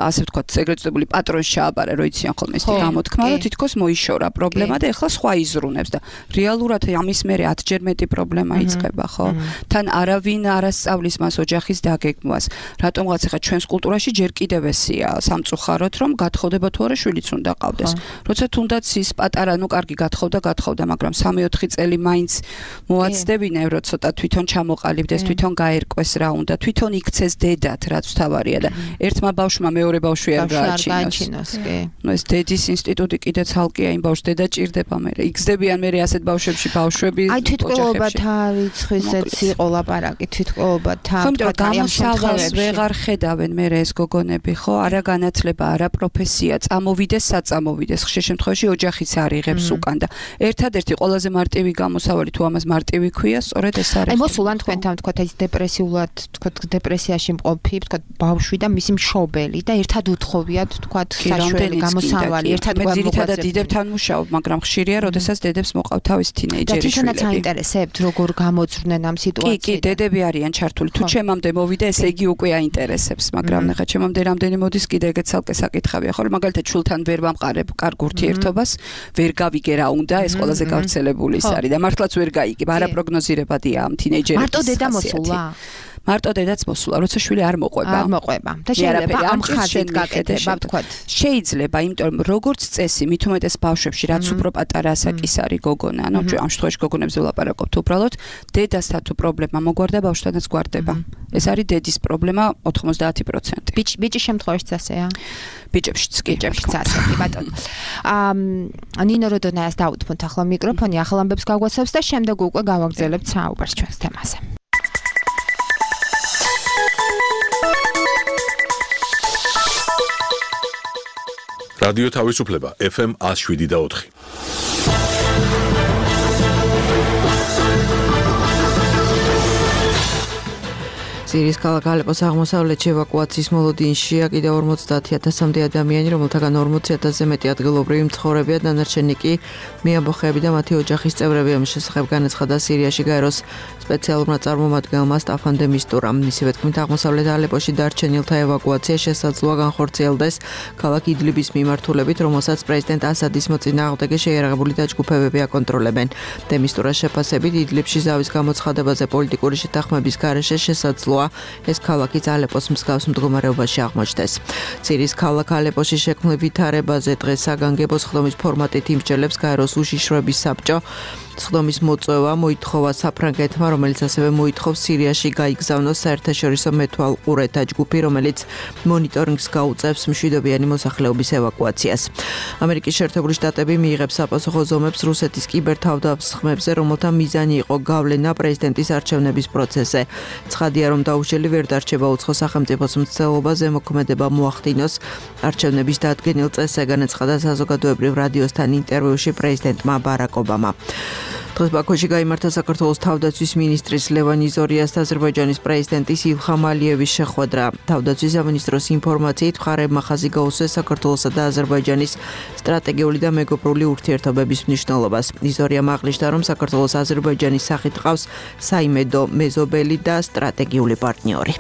ასე ვთქვათ, ეგრეთ წოდებული პატრონს ჩააბარა, რო იციან ხოლმე ეს გამოთქმა, რომ თითქოს მოიშორა პრობლემა და ეხლა სხვა იზრუნებს და რეალურად ამის მერე ათჯერ მეტი პრობლემა იწყება, ხო? თან არავინ არ ასწავლის მას ოჯახის დაგეგმვას. რატომღაც ახლა ჩვენს კულტურაში ჯერ კიდევ ესია სამწუხაროდ, რომ გათხოვდება თუ არა შვილიც უნდა ყავდეს. როცა თუნდაც ის პატარა, ну კარგი გათხოვდა, გათხოვდა, მაგრამ სამი ოთხი წელი მაინც მოაცდებინა, რომ ცოტა თვითონ ჩამოყალიბდეს, თვითონ გაერკვეს რა უნდა, თვითონ იქცეს დედად, რაც თავარია და ერთმა ბავშვმა მეორე ბავშვი არ გააჩინოს. ну ეს დედის ინსტიტუტი კიდე ცალკეა, იმ ბავშვს დედა ჭირდება მე. იგზდებიან მე ასეთ ბავშვებში ბავშვები. აი თვითკვლელობათ რიცხვისეც იყო ლაპარაკი, თვითკვლელობათან გამოსავალს ვეღარ ხედავენ მე ეს გოგონები, ხო? არა განათლება, არა პროფესია, წამოვიდეს, საწამოვიდეს. ხშირ შემთხვევაში ოჯახიც არ იღებს უკან და ერთადერთი ყველაზე მარტივი გამოსავალი თუ ამას მარტივი ქვია, სწორედ ეს არის. აი მოსულან თქვენთან თქვათ ეს დეპრესიულად, თქვათ დეპრესიაში მყოფი, თქვათ ბავშვი და მისი მშობელი და ერთად უთხოვიათ, თქვათ საშველი გამოსავალი, ერთად გვამოგვაწევთ. დიდებთან მუშაობ, მაგრამ ხშირია, როდესაც დედებს მოყავთ თავის თინეიჯერი შვილები. და თვითონაც აინტერესებთ, როგორ გამოძვრნენ ამ სიტუაციიდან. კი, კი, დედები არიან ჩართული. თუ ჩემამდე მოვიდა, ესე იგი უკვე აინტერესებს, მაგრამ ახლა ჩემამდე რამდენი მოდის კიდე ეგეც ცალკე საკითხავია, ხო? მაგალითად შულთან ვერ ვამყარებ კარგ ურთიერთობას, ვერ გავიგე რა უნდა, ეს ყველაზე გავრცელებული ის არის და მართლაც ვერ გაიგებ, არაპროგნოზირებადია ამ თინეიჯერების. მარტო დედა მოსულა? მარტო დედაც მოსულა, როცა შვილი არ მოყვება. არ მოყვება. და შეიძლება ამ ხაზით გაკეთება, ვთქვათ. შეიძლება, იმიტომ რომ როგორც წესი, მით უმეტეს ბავშვებში, რაც უფრო პატარა ასაკის არის გოგონა, ანუ ამ შემთხვევაში გოგონებზე ვლაპარაკობთ უბრალოდ, დედასთან თუ პრობლემა მოგვარდა, ბავშვთანაც გვარდება. ეს არის დედის პრობლემა ოთხმოცდაათი პროცენტი. ბიჭ ბიჭის შემთხვევაშიც ასეა. ბიჭებშიც კი, ბიჭებშიც ასეთი, ბატონო. აა ნინო როდონაას დაუთმოთ ახლა მიკროფონი, ახალ ამბებს გაგვაცნობს და შემდეგ უკვე გავაგრძელებთ საუბარს ჩვენს თემაზე. რადიო თავისუფლება ეფ ემ one oh seven და four. სირიის ქალაქ ალეპოს აღმოსავლეთში ევაკუაციის მოლოდინშია კიდევ ორმოცდაათი ათასამდე ადამიანი, რომელთაგან ორმოცი ათასზე მეტი ადგილობრივი მცხოვრებია, დანარჩენი კი მეამბოხეები და მათი ოჯახის წევრები. ამის შესახებ განაცხადა სირიაში გაეროს სპეციალურმა წარმომადგენელმა სტაფან დე მისტურამ. მისივე თქმით, აღმოსავლეთ ალეპოში დარჩენილთა ევაკუაცია შესაძლოა განხორციელდეს ქალაქ იდლიბის მიმართულებით, რომელსაც პრეზიდენტ ასადის მოწინააღმდეგე შეიარაღებული დაჯგუფებები აკონტროლებენ. დე მისტურას შეფასებით, იდლიბში ზავის გამოცხადებაზე პოლიტიკური შეთანხმების გარეშე შესაძლოა ეს ქალაქიც ალეპოს მსგავს მდგომარეობაში აღმოჩნდეს. სირიის ქალაქ ალეპოში შექმნილ ვითარებაზე დღეს საგანგებო სხდომის ფორმატით იმსჯელებს გაეროს უშიშროების საბჭო. სხდომის მოწვევა მოითხოვა საფრანგეთმა, რომელიც ასევე მოითხოვს სირიაში გაიგზავნოს საერთაშორისო მეთვალყურეთა ჯგუფი, რომელიც მონიტორინგს გაუწევს მშვიდობიანი მოსახლეობის ევაკუაციას. ამერიკის შეერთებული შტატები მიიღებს საპასუხო ზომებს რუსეთის კიბერთავდასხმებზე, რომელთა მიზანი იყო გავლენა პრეზიდენტის არჩევნების პროცესზე. ცხადია, რომ დაუშველი ვერ დარჩება უცხო სახელმწიფოს მცდელობა ზემოქმედება მოახდინოს არჩევნების დადგენილ წესზე, განაცხადა საზოგადოებრივ რადიოსთან ინტერვიუში პრეზიდენტმა ბარაკ ობამა. დღეს ბაქოში გაიმართა საქართველოს თავდაცვის მინისტრის ლევან იზორიას და აზერბაიჯანის პრეზიდენტის ილხამ ალიევის შეხვედრა. თავდაცვის სამინისტროს ინფორმაციით, მხარეებმა ხაზი გაუსვეს საქართველოსა და აზერბაიჯანის სტრატეგიული და მეგობრული ურთიერთობების მნიშვნელობას. იზორიამ აღნიშნა, რომ საქართველოს აზერბაიჯანის სახით ყავს საიმედო, მეზობელი და სტრატეგიული პარტნიორი.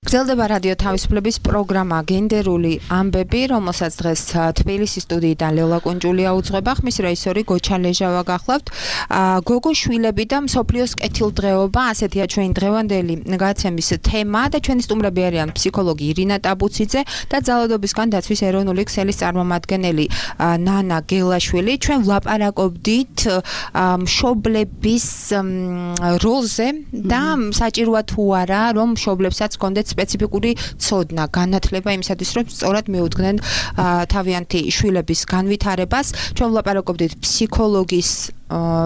გრძელდება რადიო თავისუფლების პროგრამა გენდერული ამბები, რომელსაც დღეს თბილისის სტუდიიდან ლელა კუნჯულია უძღვება, ხმის რეჟისორი გოჩა ლეჟავა გახლავთ. გოგო შვილები და მსოფლიოს კეთილდღეობა, ასეთია ჩვენი დღევანდელი გადაცემის თემა და ჩვენი სტუმრები არიან ფსიქოლოგი ირინა ტაბუციძე და ძალადობისგან დაცვის ეროვნული ქსელის წარმომადგენელი ნანა გელაშვილი. ჩვენ ვლაპარაკობდით მშობლების როლზე და საჭიროა თუ არა, რომ მშობლებსაც კონდეთ სპეციფიკური ცოდნა, განათლება იმისათვის, რომ სწორად მიუძღნენ თავიანთი შვილების განვითარებას. ჩვენ ვლაპარაკობდით ფსიქოლოგის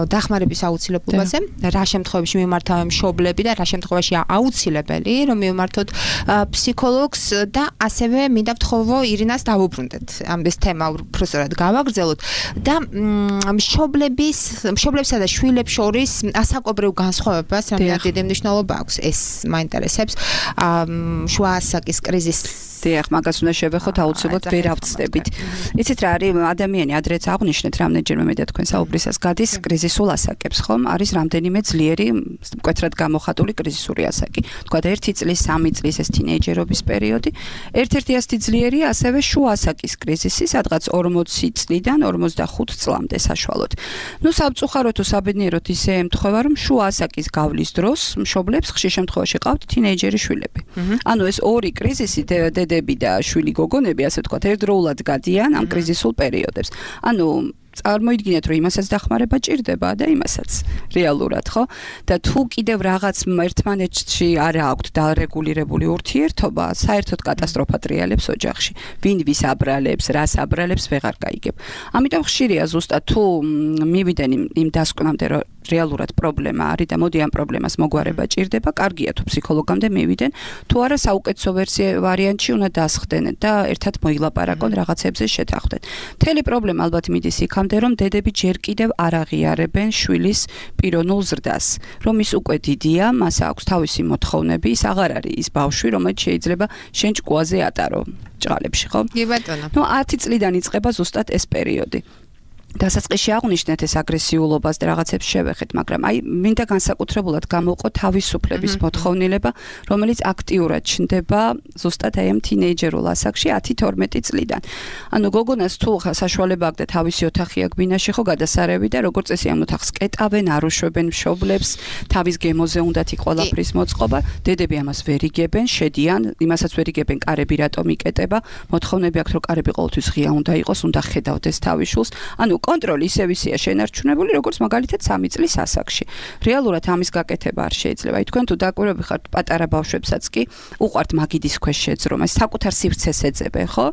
დახმარების აუცილებლობაზე, რა შემთხვევაში მიმართავენ მშობლები და რა შემთხვევაში აუცილებელი, რომ მიმართოთ ფსიქოლოგს და ასევე მინდა ვთხოვო ირინას დავუბრუნდეთ. ამის თემა უბრალოდ გავაგრძელოთ და მშობლების, მშობლებსა და შვილებს შორის ასაკობრივ განსხვავებას რამდენად დიდი მნიშვნელობა აქვს. ეს მაინტერესებს. შუა ასაკის კრიზისი დიახ, მაგას უნდა შევეხოთ აუცილებლად ვერ ავწდებით. იცით რა არის, ადამიანი ადრეც აღვნიშნეთ რამდენჯერმე მე და თქვენ საუბრისას გადის კრიზისულ ასაკებს, ხომ? არის რამდენიმე ძლიერი, მკვეთრად გამოხატული კრიზისური ასაკი. თქვა ერთი წლის, სამი წლის ეს თინეიჯერობის პერიოდი. ერთ-ერთი ასეთი ძლიერია ასევე შუა ასაკის კრიზისი, სადღაც ორმოცი წლიდან ორმოცდახუთ წლამდე საშუალოდ. ნუ სამწუხაროდ თუ საბედნიეროდ ისე ემთხვევა, რომ შუა ასაკის გავლის დროს მშობლებს ხშირ შემთხვევაში ყავთ თინეიჯერი შვილები. ანუ ეს ორი კრიზისი დედები და შვილი გოგონები, ასე ვთქვათ, ერთდროულად გადიან ამ კრიზისულ პერიოდებს. ანუ წარმოიდგინეთ, რომ იმასაც დახმარება ჭირდება და იმასაც რეალურად, ხო? და თუ კიდევ რაღაც ერთმანეთში არ აქვთ დარეგულირებული ურთიერთობა, საერთოდ კატასტროფა ტრიალებს ოჯახში. ვინ ვის აბრალებს, რას აბრალებს, ვეღარ გაიგებ. ამიტომ ხშირია ზუსტად თუ მივიდენ იმ დასკვნამდე, რომ რეალურად პრობლემა არის და მოდი ამ პრობლემას მოგვარება ჭირდება, კარგია თუ ფსიქოლოგამდე მივიდენ, თუ არა საუკეთესო ვარიანტში უნდა დასხდენ და ერთად მოილაპარაკონ, რაღაცებზე შეთანხმდნენ. მთელი პრობლემა ალბათ მიდის იქამდე, რომ დედები ჯერ კიდევ არ აღიარებენ შვილის პიროვნულ ზრდას, რომ ის უკვე დიდია, მას აქვს თავისი მოთხოვნები, ის აღარ არის ის ბავშვი, რომელიც შეიძლება შენ ჭკუაზე ატარო ჭყალებში, ხო? კი ბატონო. ნუ ათი წლიდან იწყება ზუსტად ეს პერიოდი. დასაწყისში აღვნიშნეთ ეს აგრესიულობას და რაღაცებს შევეხეთ, მაგრამ აი მინდა განსაკუთრებულად გამოვყო თავისუფლების მოთხოვნილება, რომელიც აქტიურად ჩნდება ზუსტად აი ამ თინეიჯერულ ასაკში ათი თორმეტი წლიდან. ანუ გოგონას თუ საშუალება აქვს და თავისი ოთახი აქვს ბინაში ხო გადასარევი და როგორც წესი ამ ოთახს კეტავენ, არუშვებენ მშობლებს, თავის გემოზე უნდათ იქ ყველაფრის მოწყობა, დედები ამას ვერ იგებენ, შედიან, იმასაც ვერ იგებენ, კარები რატომ იკეტება, მოთხოვნები აქვს რომ კარები ყოველთვის ღია უნდა იყოს, უნდა ხედავდეს თავის შულს. ანუ კონტროლი ისევ ისეა შენარჩუნებული, როგორც მაგალითად სამი წლის ასაკში. რეალურად ამის გაკეთება არ შეიძლება. აი თქვენ თუ დაკვირვები ხართ პატარა ბავშვებსაც კი უყვართ მაგიდის ქვეშ შეძრომა, საკუთარ სივრცეს ეძებენ, ხო?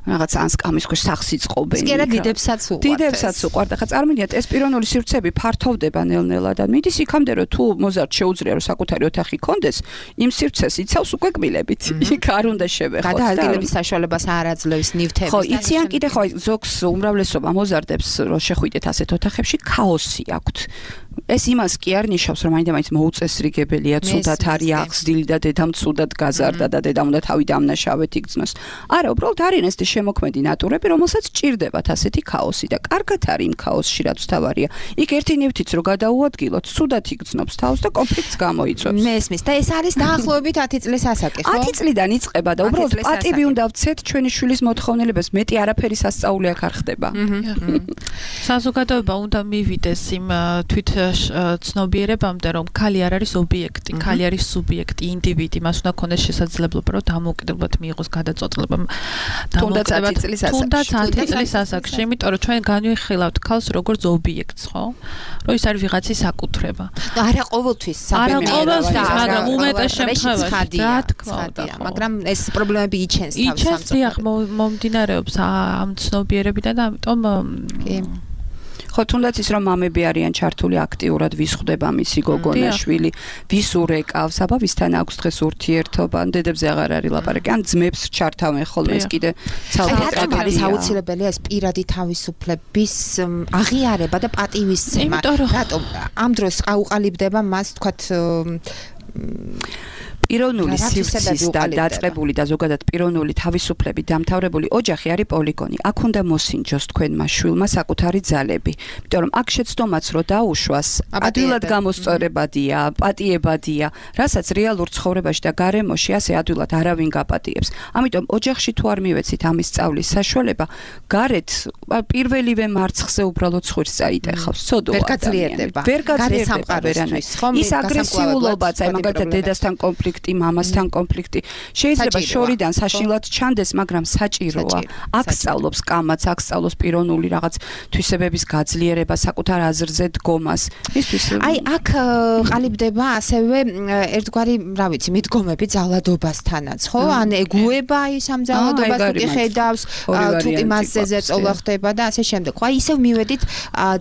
რაღაც ან სკამის ქვეშ სახს იწყობენ. სკერა დიდებსაც უყვართ. დიდებსაც უყვართ. ახლა წარმოვიდგინეთ, ეს პიროვნული სივრცეები ფართოვდება ნელ-ნელა და მიდის იქამდე, რომ თუ მოზარდ შეუძლია რომ საკუთარი ოთახი კონდეს, იმ სივრცეს იცავს უკვე კბილებით. იქ არ უნდა შევეხოთ. გადაადგილების საშუალებას არ აძლევს ნივთების. ხო, იციან კიდე ხო, ზოგს უმრავლესობა მოზარდებს რომ შეხვიდეთ ასეთ ოთახებში ქაოსი აქვთ. ეს იმას კი არ ნიშნავს, რომ მაინდა-მაინც მოუწესრიგებელია, ცუდად არის აღზრდილი და დედამ ცუდად გაზარდა და დედამ უნდა თავი დამნაშავეთ იგრძნოს. არა, უბრალოდ არიან ეს შემოქმედი ნატურები, რომელსაც ჭირდებათ ასეთი ქაოსი და კარგად არის იმ ქაოსში, რაც თავარია. იქ ერთი ნივთიც რო გადაუადგილოთ, ცუდად იგრძნობს თავს და კონფლიქტს გამოიწვევს. მესმის და ეს არის დაახლოებით ათი წლის ასაკი, ხო? ათი წლიდან იწყება და უბრალოდ პატივი უნდა ვცეთ ჩვენი შვილის მოთხოვნილებას, მეტი არაფერი სასწაული აქ არ ხდება. საზოგადოება უნდა მივიდეს იმ თვით ცნობიერებამდე, რომ ქალი არ არის ობიექტი, ქალი არის სუბიექტი, ინდივიდი, მას უნდა ქონდეს შესაძლებლობა, რომ დამოუკიდებლად მიიღოს გადაწყვეტილება. თუნდაც ათი წლის ასაკში. თუნდაც ათი წლის ასაკში, იმიტომ რომ ჩვენ განვიხილავთ ქალს როგორც ობიექტს, ხო? რომ ის არის ვიღაცის საკუთრება. არა ყოველთვის არა ყოველთვის, მაგრამ უმეტეს შემთხვევაში, ხადია, რა თქმა უნდა, მაგრამ ეს პრობლემები იჩენს თავის იჩენს, დიახ, მომდინარეობს ამ ცნობიერებიდან და ამიტომ კი ხო, თუნდაც ის რომ მამები არიან ჩართული აქტიურად, ვის ხვდება მისი გოგონა, შვილი, ვის ურეკავს, აბა ვისთან აქვს დღეს ურთიერთობა, ან დედებზე აღარ არის ლაპარაკი, ან ძმებს ჩართავენ ხოლმე ეს კიდე ცალკე ტრაგედია. არის აუცილებელია ეს პირადი თავისუფლების აღიარება და პატივისცემა. რატომ ამ დროს აუყალიბდება მას, თქვათ პიროვნული სივრცის და დაწყებული და ზოგადად პიროვნული თავისუფლები დამთავრებული ოჯახი არის პოლიგონი. აქ უნდა მოსინჯოს თქვენმა შვილმა საკუთარი ძალები. იმიტომ რომ აქ შეცდომაც რო დაუშვას, ადვილად გამოსწორებადია, პატიებადია, რასაც რეალურ ცხოვრებაში და გარემოში ასე ადვილად არავინ გაპატიებს. ამიტომ ოჯახში თუ არ მივეცით ამის სწავლის საშუალება, გარეთ პირველივე მარცხზე უბრალოდ ხვირს წაიტეხავს. სოდო ვერ გაძლიერდება. ვერ გაძლიერდება ვერანაირ. ის აგრესიულობაც, აი მაგალითად დედასთან კონფლიქტი, მამასთან კონფლიქტი შეიძლება შორიდან საშინლად ჩანდეს, მაგრამ საჭიროა. აქ სწავლობს კამაც, აქ სწავლობს პიროვნული რაღაც თვისებების გაძლიერება, საკუთარ აზრზე დგომას. ისთვის აი აქ ყალიბდება ასევე ერთგვარი, რა ვიცი, მიდგომები ძალადობასთანაც, ხო? ან ეგუება ის ამ ძალადობას, თუ კი ხედავს, თუ კი მასზე ზეწოლა ხდება და ასე შემდეგ. ხო, აი ისევ მივედით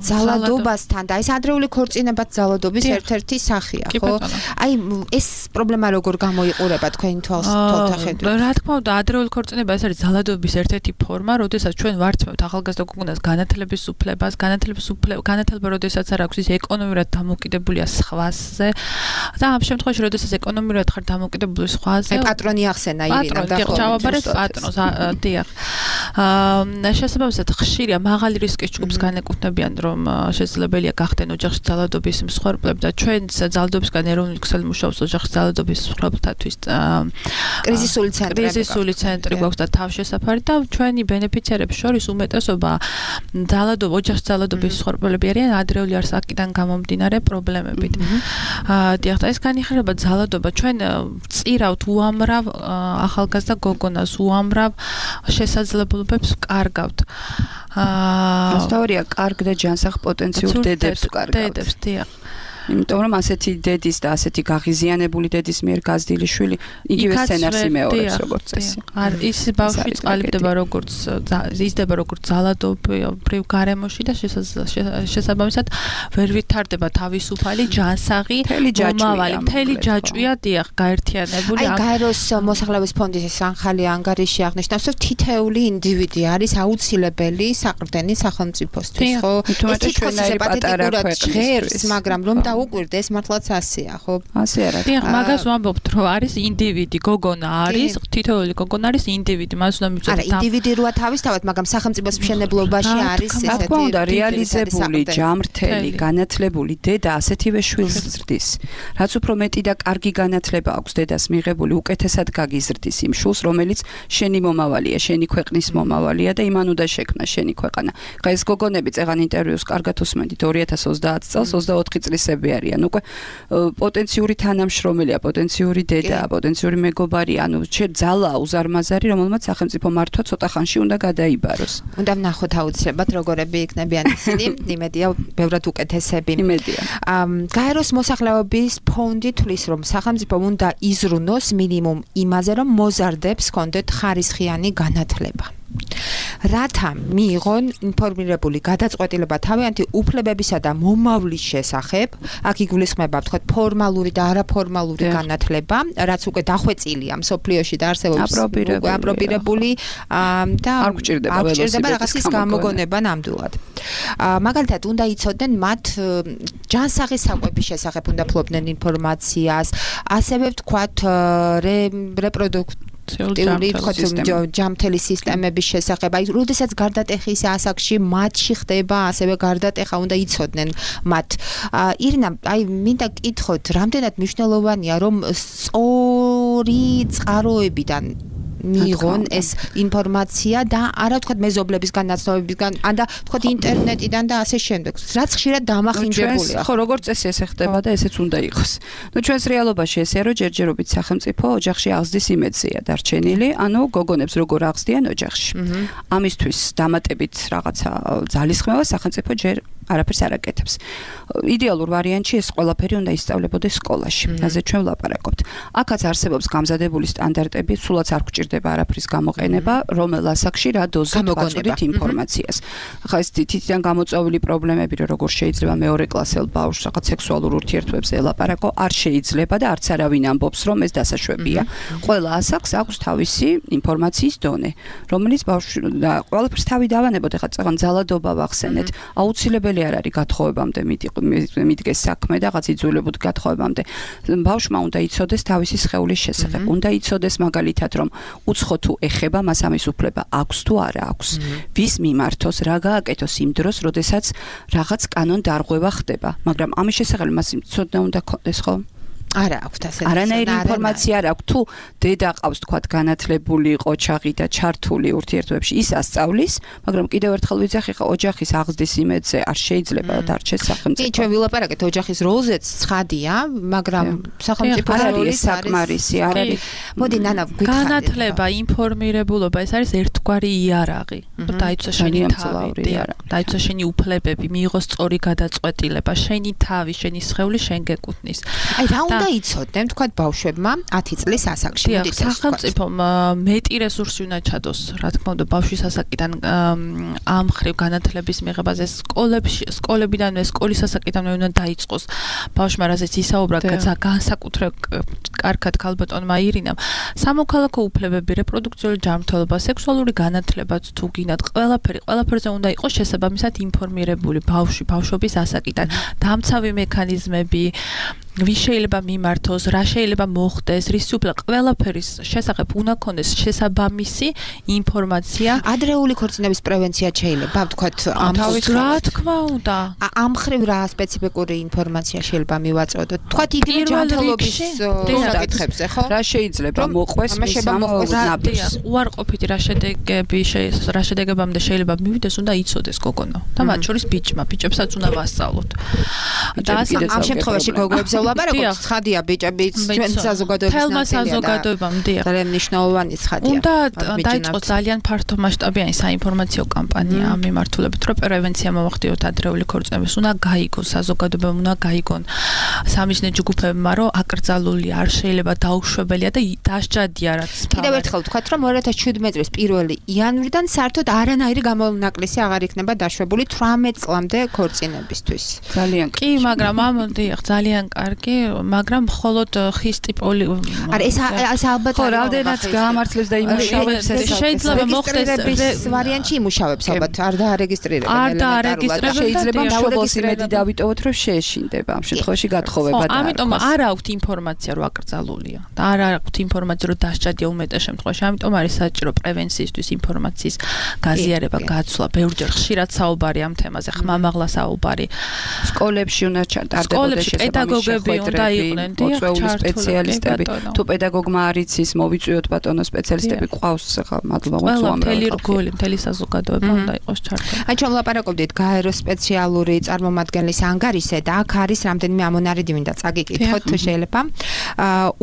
ძალადობასთან და ეს ადრეული ქორწინებაც ძალადობის ერთ-ერთი სახეა, ხო? აი ეს პრობლემა როგორ გამოიყურება თქვენი თვალსაჩინო? რა თქმა უნდა, ადრეული ქორწინება ეს არის ძალადობის ერთ-ერთი ფორმა, როდესაც ჩვენ ვარცმევთ ახალგაზრდა გოგონას განათლების უფლებას, განათლების უფლება, განათლება როდესაც არ აქვს, ის ეკონომიურად დამოკიდებულია სხვაზე და ამ შემთხვევაში როდესაც ეკონომიურად ხარ დამოკიდებული სხვაზე, აი პატრონი ახსენა ირინა და ხო, ჩავაბარეს პატრონს, დიახ. აა შესაბამისად ხშირია მაღალი რისკის ჯგუფს განეკუთვნებიან, რომ შესაძლებელია გახდნენ ოჯახში ძალადობის მსხვერპლები და ჩვენც ძალადობისგან ეროვნული ქსელი მუშაობს ოჯახში ძალადობის მსხვერპლთათვის კრიზისული ცენტრი კრიზისული ცენტრი გვაქვს და თავშესაფარი და ჩვენი ბენეფიციარების შორის უმეტესობა ძალადობა ოჯახში ძალადობის მსხვერპლები არიან ადრეული ასაკიდან გამომდინარე პრობლემებით. აა დიახ, ეს განიხილება ძალადობა ჩვენ წირავთ უამრავ ახალგაზრდა გოგონას, უამრავ შესაძლებლობებს კარგავთ. აა ასთავარია კარგ და ჯანსაღ პოტენციურ დედებს კარგავთ. დედებს, დიახ. იმიტომ რომ ასეთი დედის და ასეთი გაღიზიანებული დედის მიერ გაზრდილი შვილი იგივე სცენარს იმეორებს როგორც წესი. არ ის ბავშვი წყალიბდება როგორც იზრდება როგორც ძალადობრივ გარემოში და შესაბამისად ვერ ვითარდება თავისუფალი ჯანსაღი მომავალი. მთელი ჯაჭვია დიახ გაერთიანებული. აი გაეროს მოსახლეობის ფონდის სანხალი ანგარიში აღნიშნავს, რომ თითეული ინდივიდი არის აუცილებელი საყრდენი სახელმწიფოსთვის, ხო? ეს თვითონ პატარა ჟღერს, მაგრამ რომ დაუკვირდე, ეს მართლაც ასეა, ხო? ასე არა. დიახ, მაგას ვამბობთ, რომ არის ინდივიდი, გოგონა არის, თითოეული გოგონა არის ინდივიდი, მას უნდა მივწოდოთ. არა, ინდივიდი როა თავისთავად, მაგრამ სახელმწიფოს მშენებლობაში არის ესეთი. რა თქმა უნდა, რეალიზებული, ჯამრთელი, განათლებული დედა ასეთივე შვილს ზრდის. რაც უფრო მეტი და კარგი განათლება აქვს დედას მიღებული, უკეთესად გაგიზრდის იმ შვილს, რომელიც შენი მომავალია, შენი ქვეყნის მომავალია და იმან უნდა შექმნა შენი ქვეყანა. ხა ეს გოგონები წეგან ინტერვიუს კარგად უსმენდით ორი ათას ოცდაათ წელს ოცდაოთხი წლისები არიან. უკვე პოტენციური თანამშრომელია, პოტენციური დედაა, პოტენციური მეგობარია, ანუ ძალაა უზარმაზარი, რომელმაც სახელმწიფო მართვა ცოტა ხანში უნდა გადაიბაროს. უნდა ვნახოთ აუცილებლად როგორები იქნებიან ისინი, იმედია ბევრად უკეთესები. იმედია. გაეროს მოსახლეობის ფონდი თვლის, რომ სახელმწიფო უნდა იზრუნოს მინიმუმ იმაზე, რომ მოზარდებს კონდეთ ხარისხიანი განათლება. რათა მიიღონ ინფორმირებული გადაწყვეტილება თავიანთი უფლებებისა და მომავლის შესახებ, აქ იგულისხმება ვთქვათ ფორმალური და არაფორმალური განათლება, რაც უკვე დახვეწილია მსოფლიოში და არსებობს აპრობირებული და არ გვჭირდება რაღაცის გამოგონება ნამდვილად. მაგალითად, უნდა იცოდნენ მათ ჯანსაღის საკვების შესახებ უნდა ფლობდნენ ინფორმაციას, ასევე ვთქვათ რეპროდუქციული ჯამთელი სისტემების შესახებ. აი, როდესაც გარდატეხის ასაკში მათში ხდება, ასევე გარდატეხა უნდა იცოდნენ მათ. ირინა, აი, მინდა გკითხოთ, რამდენად მნიშვნელოვანია, რომ სწორი წყაროებიდან მიიღონ ეს ინფორმაცია და არა ვთქვათ მეზობლების განაცნობებისგან, ან და ვთქვათ ინტერნეტიდან და ასე შემდეგ. რაც ხშირად დამახინჯებულია. ხო, როგორც წესი ესე ხდება და ესეც უნდა იყოს. ნუ ჩვენს რეალობაში ესეა, რომ ჯერჯერობით სახელმწიფო ოჯახში აღზრდის იმედზეა დარჩენილი, ანუ გოგონებს როგორ აღზრდიან ოჯახში. ამისთვის დამატებით რაღაცა ძალისხმევა სახელმწიფო ჯერ არაფერს არ აკეთებს. იდეალურ ვარიანტში ეს ყველაფერი უნდა ისწავლებოდეს სკოლაში. ასე ჩვენ ვლაპარაკობთ. აქაც არსებობს გამზადებული სტანდარტები, სულაც არ გვჭირდება არაფრის გამოყენება, რომელ ასაკში რა დოზით ვაწოდით ინფორმაციას. ხა ეს თითიდან გამოწვეული პრობლემები, რომ როგორ შეიძლება მეორე კლასელ ბავშვს რაღაც სექსუალურ ურთიერთობებზე ელაპარაკო, არ შეიძლება და არც არავინ ამბობს, რომ ეს დასაშვებია. ყველა ასაკს აქვს თავისი ინფორმაციის დონე, რომელიც ბავშვი და ყველაფერს თავი დავანებოთ, ხა წეგან ძალადობა ვახსენეთ, აუცილებელი არ არის გათხოვებამდე მიდგეს საქმე და რაღაც იძულებოდ გათხოვებამდე. ბავშვმა უნდა იცოდეს თავისი სხეულის შესახებ. უნდა იცოდეს მაგალითად, რომ უცხო თუ ეხება, მას ამის უფლება აქვს თუ არა აქვს. ვის მიმართოს, რა გააკეთოს იმ დროს, როდესაც რაღაც კანონ დარღვევა ხდება. მაგრამ ამის შესახებ მას ცოდნა უნდა ქონდეს, ხო? არა აქვს ასეთი არანაირი ინფორმაცია არ აქვს. თუ დედა ყავს თქვათ განათლებული, ყოჩაღი და ჩართული ურთიერთობებში, ის ასწავლის, მაგრამ კიდევ ერთხელ ვიძახი, ხა ოჯახის აღზრდის იმედზე არ შეიძლება დარჩეს სახელმწიფო. კი, ჩვენ ვილაპარაკეთ ოჯახის როლზეც ცხადია, მაგრამ სახელმწიფო როლი საკმარისი არ არის. მოდი ნანა გითხარით. განათლება, ინფორმირებულობა, ეს არის ერთგვარი იარაღი. დაიცვა შენი თავი, დაიცვა შენი უფლებები, მიიღო სწორი გადაწყვეტილება, შენი თავი, შენი სხეული შენ გეკუთვნის. აი, რა უნდა იცოდნენ თქვათ ბავშვებმა ათი წლის ასაკში. მოდით სახელმწიფომ მეტი რესურსი უნდა ჩადოს, რა თქმა უნდა, ბავშვის ასაკიდან ამ ხრივ განათლების მიღებაზე სკოლებში, სკოლებიდანვე, სკოლის ასაკიდანვე უნდა დაიწყოს ბავშვმა, რასაც ისაუბრა განსაკუთრებით კარგად ქალბატონმა ირინამ. სამოქალაქო უფლებები, რეპროდუქციული ჯანმრთელობა, სექსუალური განათლებაც თუ გინდათ, ყველაფერი, ყველაფერზე უნდა იყოს შესაბამისად ინფორმირებული ბავშვი, ბავშვობის ასაკიდან. დამცავი მექანიზმები, ვის შეიძლება მიმართოს, რა შეიძლება მოხდეს, რის უფლება, ყველაფერის შესახებ უნდა ქონდეს შესაბამისი ინფორმაცია. ადრეული ქორწინების პრევენცია შეიძლება, ვთქვათ, ამ რა თქმა უნდა. ამ ხრივ რა სპეციფიკური ინფორმაცია შეიძლება მივაწოდოთ? ვთქვათ, იგივე ჯანმრთელობის საკითხებზე, ხო? რა შეიძლება მოყვეს მის ამბავს? უარყოფითი რა შედეგები, რა შედეგებამდე შეიძლება მივიდეს, უნდა იცოდეს გოგონა. და მათ შორის ბიჭმა, ბიჭებსაც უნდა ვასწავლოთ. და ამ შემთხვევაში გოგოებზე ვლაპარაკობთ, ცხადია ბიჭები ჩვენ საზოგადოების თელმა საზოგადოებამ დიახ. ძალიან მნიშვნელოვანი ცხადია. უნდა დაიწყოს ძალიან ფართო მასშტაბიანი საინფორმაციო კამპანია ამ მიმართულებით, რომ პრევენცია მოვახდინოთ ადრეული ქორწინების. უნდა გაიგოს საზოგადოებამ, უნდა გაიგონ სამიზნე ჯგუფებმა, რომ აკრძალული არ შეიძლება დაუშვებელია და დასჯადია რაც. კიდევ ერთხელ ვთქვათ, რომ ორი ათას შვიდმეტი წლის პირველი იანვრიდან საერთოდ არანაირი გამონაკლისი აღარ იქნება დაშვებული თვრამეტ წლამდე ქორწინებისთვის. ძალიან კი, მაგრამ ამ დიახ, ძალიან კარგი კარგი, მაგრამ მხოლოდ ხის ტიპოლი არა ეს ეს ალბათ ხო, რამდენად გაამართლებს და იმუშავებს ეს შეიძლება მოხდეს ვარიანტი იმუშავებს ალბათ არ დაარეგისტრირებენ არ დაარეგისტრებენ შეიძლება მშობელს იმედი დავიტოვოთ რომ შეეშინდება ამ შემთხვევაში გათხოვება და ამიტომ არ აქვთ ინფორმაცია რომ აკრძალულია და არ აქვთ ინფორმაცია რომ დასჭადია უმეტეს შემთხვევაში ამიტომ არის საჭირო პრევენციისთვის ინფორმაციის გაზიარება გაცვლა ბევრჯერ ხშირად საუბარი ამ თემაზე ხმამაღლა საუბარი სკოლებში უნდა ჩატარდებოდეს პედაგოგები უნდა იყვნენ მოწვეული სპეციალისტები თუ პედაგოგმა არ იცის მოვიწვიოთ ბატონო სპეციალისტები ყავს ხა მადლობა უამრავი მთელი რგოლი მთელი საზოგადოება უნდა იყოს ჩართული აი ჩვენ ვლაპარაკობდით გაერო სპეციალური წარმომადგენლის ანგარიშზე და აქ არის რამდენიმე ამონარიდი მინდა წაგიკითხოთ თუ შეიძლება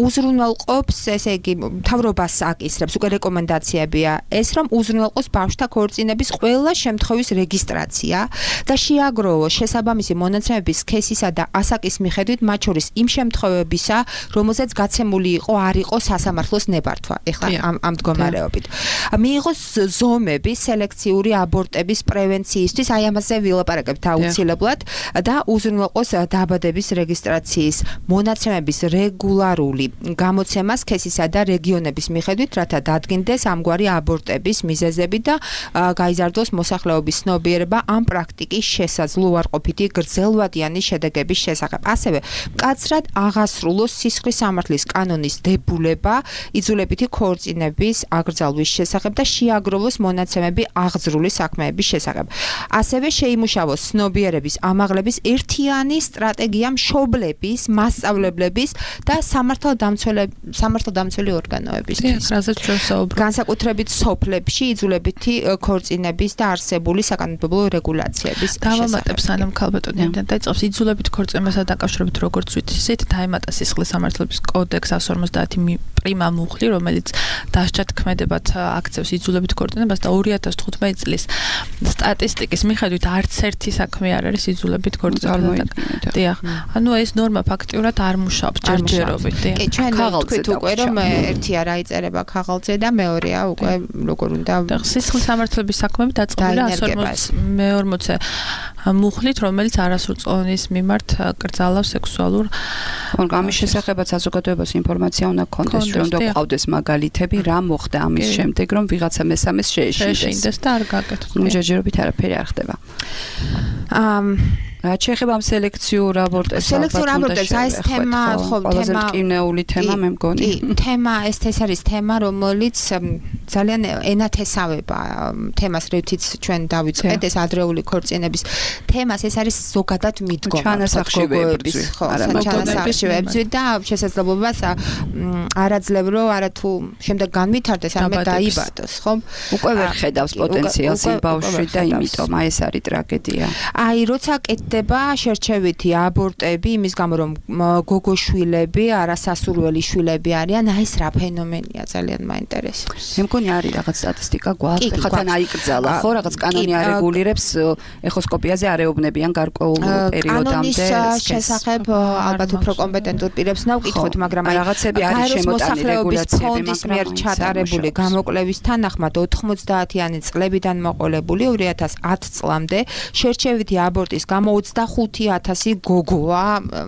უზრუნველყოფს ესე იგი მთავრობას აკისრებს უკვე რეკომენდაციებია ეს რომ უზრუნველყოს ბავშვთა ქორწინების ყველა შემთხვევის რეგისტრაცია და შეაგროვოს შესაბამისი მონაცემების სქესისა და ასაკის მიხედვით მათ შორის იმ შემთხვევებისა რომელზეც გაცემული იყო არ იყო სასამართლოს ნებართვა ეხლა ამ ამ მდგომარეობით მიიღოს ზომები სელექციური აბორტების პრევენციისთვის აი ამაზე ვილაპარაკებთ აუცილებლად და უზრუნველყოს დაბადების რეგისტრაციის მონაცემების რეგულარული გამოცემა სქესისა და რეგიონების მიხედვით რათა დადგინდეს ამგვარი აბორტების მიზეზები და გაიზარდოს მოსახლეობის ცნობიერება ამ პრაქტიკის შესაძლო უარყოფითი გრძელვადიანი შედეგების შესახებ. ასევე მკაცრად აღასრულოს სისხლის სამართლის კანონის დებულება იძულებითი ქორწინების აკრძალვის შესახებ და შეაგროვოს მონაცემები აღძრული საქმეების შესახებ. ასევე შეიმუშავოს ცნობიერების ამაღლების ერთიანი სტრატეგია მშობლების, მასწავლებლების და სამართალდამცველი ორგანოებისთვის. განსაკუთრებით სოფლებში იძულებითი ქორწინების და არსებული საკანონმდებლო რეგულაციების დავამატებ სანამ ქალბატონიდან დაიწყებს იძულებით ქორწინებასთან დაკავშირებით როგორც ვთქვით ისეთ დაემატა სისხლის სამართლების კოდექს εκατს ორმოცდაათი პრიმა მუხლი რომელიც დასჯად ქმედებად აქცევს იძულებით ქორწინებას და ორი ათას თხუთმეტი წლის სტატისტიკის მიხედვით არც ერთი საქმე არ არის იძულებით ქორწინებასთან. დიახ. ანუ ეს ნორმა ფაქტიურად არ მუშაობს ჯერჯერობით. კი, ჩვენ ვთქვით უკვე რომ ერთია რა იწერება ქაღალდზე და მეორეა უკვე როგორ უნდა სისხლის სამართლების საქმეები დაწყებულია εκατს ორმოცდაათი მუხლით, რომელიც არასრულწლოვანის მიმართ კრძალავს სექსუალურ ამის შესახებაც საზოგადოებას ინფორმაცია უნდა გქონდეს, რომ უნდა გვყავდეს მაგალითები, რა მოხდა ამის შემდეგ, რომ ვიღაცა მესამეს შეეშინდეს და არ გაკეთოს. ჯერჯერობით არაფერი არ ხდება. ამ რაც შეეხება ამ სელექციურ აბორტებს, სელექციურ აბორტებს, აი ეს თემა, ხო, ყველაზე მტკივნეული თემა მე მგონი. კი, თემა ეს ეს არის თემა, რომელიც ძალიან ენათესავება თემას, რითიც ჩვენ დავიწყეთ, ეს ადრეული ქორწინების თემას, ეს არის ზოგადად მიდგომა ჩანასახშივეების, ხო, ჩანასახშივეების და შესაძლებლობას არაძლევ რომ არათუ შემდეგ განვითარდეს, ამე დაიბადოს, ხო? უკვე ვერ ხედავს პოტენციალს იმ ბავშვში და იმიტომ აი ეს არის ტრაგედია. აი, როცა ხდება შერჩევითი აბორტები იმის გამო რომ გოგოშვილები არასასურველი შვილები არიან აი ეს რა ფენომენია ძალიან მაინტერესებს. მე მგონი არის რაღაც სტატისტიკა გვაქვს ხა თან აიკრძალა ხო რაღაც კანონი არეგულირებს ეხოსკოპიაზე არეობნებიან გარკვეულ პერიოდამდე შესახებ ალბათ უფრო კომპეტენტურ პირებს ნავკითხოთ მაგრამ აი რაღაცები არის შემოტანილი რეგულაციები ფონდის მიერ ჩატარებული გამოკვლევის თანახმად ოთხმოცდაათიანი წლებიდან მოყოლებული ორი ათას ათი წლამდე შერჩევითი აბორტის გამო ოცდახუთი ათასი გოგოა,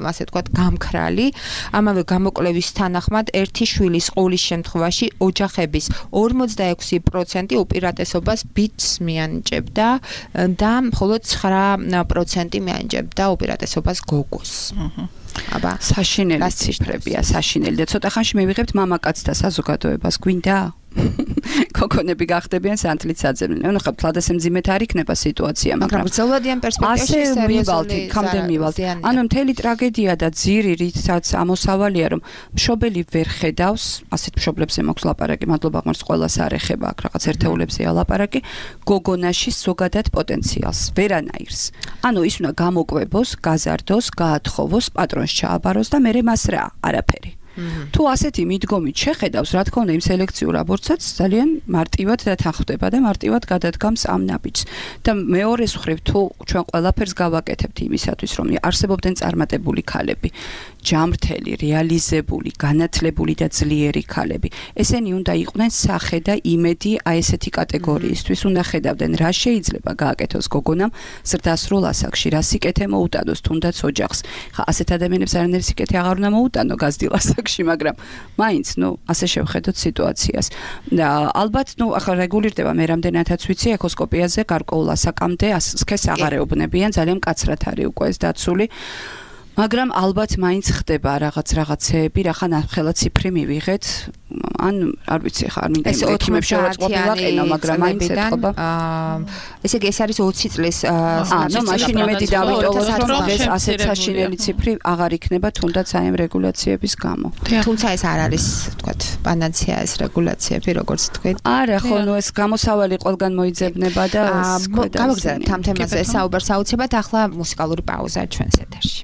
ასე ვთქვათ, გამქრალი. ამავე გამოკვლევის თანახმად ერთი შვილის ყოლის შემთხვევაში ოჯახების ორმოცდაექვსი პროცენტი უპირატესობას ბიჭს მიანიჭებდა და მხოლოდ ცხრა პროცენტი მიანიჭებდა უპირატესობას გოგოს. აბა, საშინელი ციფრებია, საშინელი და ცოტა ხანში მივიღებთ მამაკაცთა საზოგადოებას, გვინდა? ქოქონები გახდებიან სანთლით საძებნელი. ანუ ხა თლად ესე მძიმედ არ იქნება სიტუაცია, მაგრამ გრძელვადიან პერსპექტივაში სერიოზული კამდე მივალთ. ანუ მთელი ტრაგედია და ძირი, რითაც ამოსავალია, რომ მშობელი ვერ ხედავს, ასეთ მშობლებზე მაქვს ლაპარაკი, მადლობა ღმერთს ყველას არ ეხება, აქ რაღაც ერთეულებზეა ლაპარაკი, გოგონაში ზოგადად პოტენციალს, ვერანაირს. ანუ ის უნდა გამოკვებოს, გაზარდოს, გაათხოვოს, პატრონს ჩააბაროს და მერე მას რა, არაფერი. თუ ასეთი მიდგომით შეხედავს, რა თქმა უნდა, იმ სელექციურ აბორტსაც ძალიან მარტივად დათანხმდება და მარტივად გადადგამს ამ ნაბიჯს. და მეორეს მხრივ, თუ ჩვენ ყველაფერს გავაკეთებთ იმისათვის, რომ არსებობდნენ წარმატებული ქალები, ჯამრთელი, რეალიზებული, განათლებული და ძლიერი ქალები. ესენი უნდა იყვნენ სახე და იმედი აი ესეთი კატეგორიისთვის, უნდა ხედავდნენ რა შეიძლება გააკეთოს გოგონამ ზრდასრულ ასაკში, რა სიკეთე მოუტანოს თუნდაც ოჯახს. ხა ასეთ ადამიანებს არანაირი სიკეთე აღარ უნდა მოუტანო გაზრდილ ასაკში, მაგრამ მაინც, ნუ, ასე შევხედოთ სიტუაციას. და ალბათ, ნუ, ახლა რეგულირდება მე რამდენადაც ვიცი, ეკოსკოპიაზე გარკვეულ ასაკამდე სქესს აღარ ეუბნებიან, ძალიან მკაცრად არის უკვე ეს დაცული. მაგრამ ალბათ მაინც ხდება რაღაც რაღაცეები, რახან ხელა ციფრი მივიღეთ, ან არ ვიცი ხა არ მინდა ექიმებს შევაწყობ ვაყენო, მაგრამ მაინც ეთყობა. აა ესე იგი ეს არის ოცი წლის აა ნუ მაშინ იმედი დავიტოვოთ, რომ ეს ასეთ საშინელი ციფრი აღარ იქნება თუნდაც აი ამ რეგულაციების გამო. თუმცა ეს არ არის, თქვათ, პანაცეა ეს რეგულაციები, როგორც თქვით. არა, ხო, ნუ ეს გამოსავალი ყველგან მოიძებნება და ეს ქვედა. გავაგზავნეთ ამ თემაზე საუბარს აუცილებლად, ახლა მუსიკალური პაუზა ჩვენს ეთერში.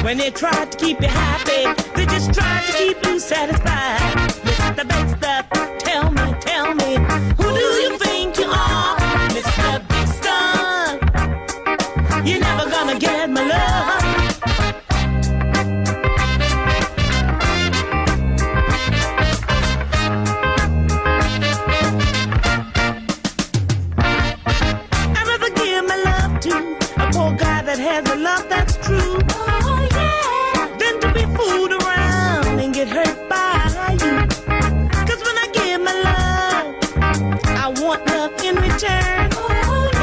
When they try to keep you happy, they just try to keep you satisfied. Mister Big Stuff, tell me, tell me, who do you think you are? Mister Big Stuff, you're never gonna get my love. I'd rather give my love to a poor guy that has a love that's true. Fooled around and get hurt by you. Cause when I give my love, I want love in return.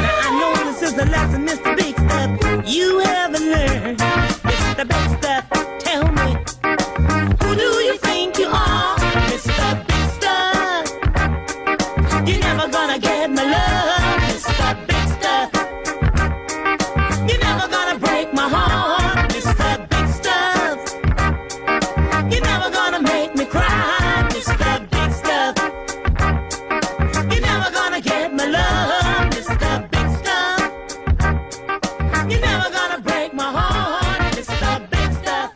Now I know this is the lesson, Mister Big Stuff, you haven't learned. Mister Big Stuff, tell me, who do you think you are? Mister Big Stuff, you're never gonna get my love. Mister Big Stuff, you're never gonna break my heart. Mister Big Stuff, you're never gonna make me cry, Mister Big Stuff. You're never gonna get my love, Mister Big Stuff. You're never gonna break my heart, Mister Big Stuff.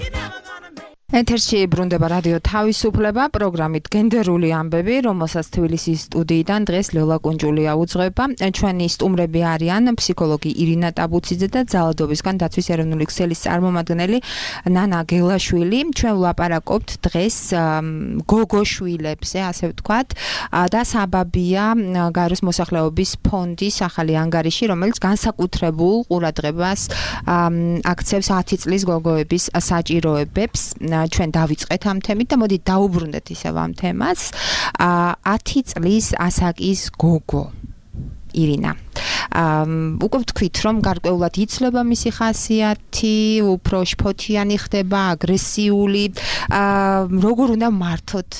You're never gonna make ეთერში ბრუნდება რადიო თავისუფლება, პროგრამით გენდერული ამბები, რომელსაც თბილისის სტუდიიდან დღეს ლელა კუნჯულია უძღვება. ჩვენი სტუმრები არიან ფსიქოლოგი ირინა ტაბუციძე და ძალადობისგან დაცვის ეროვნული ქსელის წარმომადგენელი ნანა გელაშვილი. ჩვენ ვლაპარაკობთ დღეს გოგოშვილებზე, ასე ვთქვათ, და საბაბია გაეროს მოსახლეობის ფონდის ახალი ანგარიში, რომელიც განსაკუთრებულ ყურადღებას აქცევს ათი წლის გოგოების საჭიროებებს. ჩვენ დავიწყეთ ამ თემით და მოდი დაუბრუნდეთ ისევ ამ თემას. ათი წლის ასაკის გოგო ირინა. უკვე ვთქვით, რომ გარკვეულად იცლება მისი ხასიათი, უფრო შფოთიანი ხდება, აგრესიული. როგორ უნდა მართოთ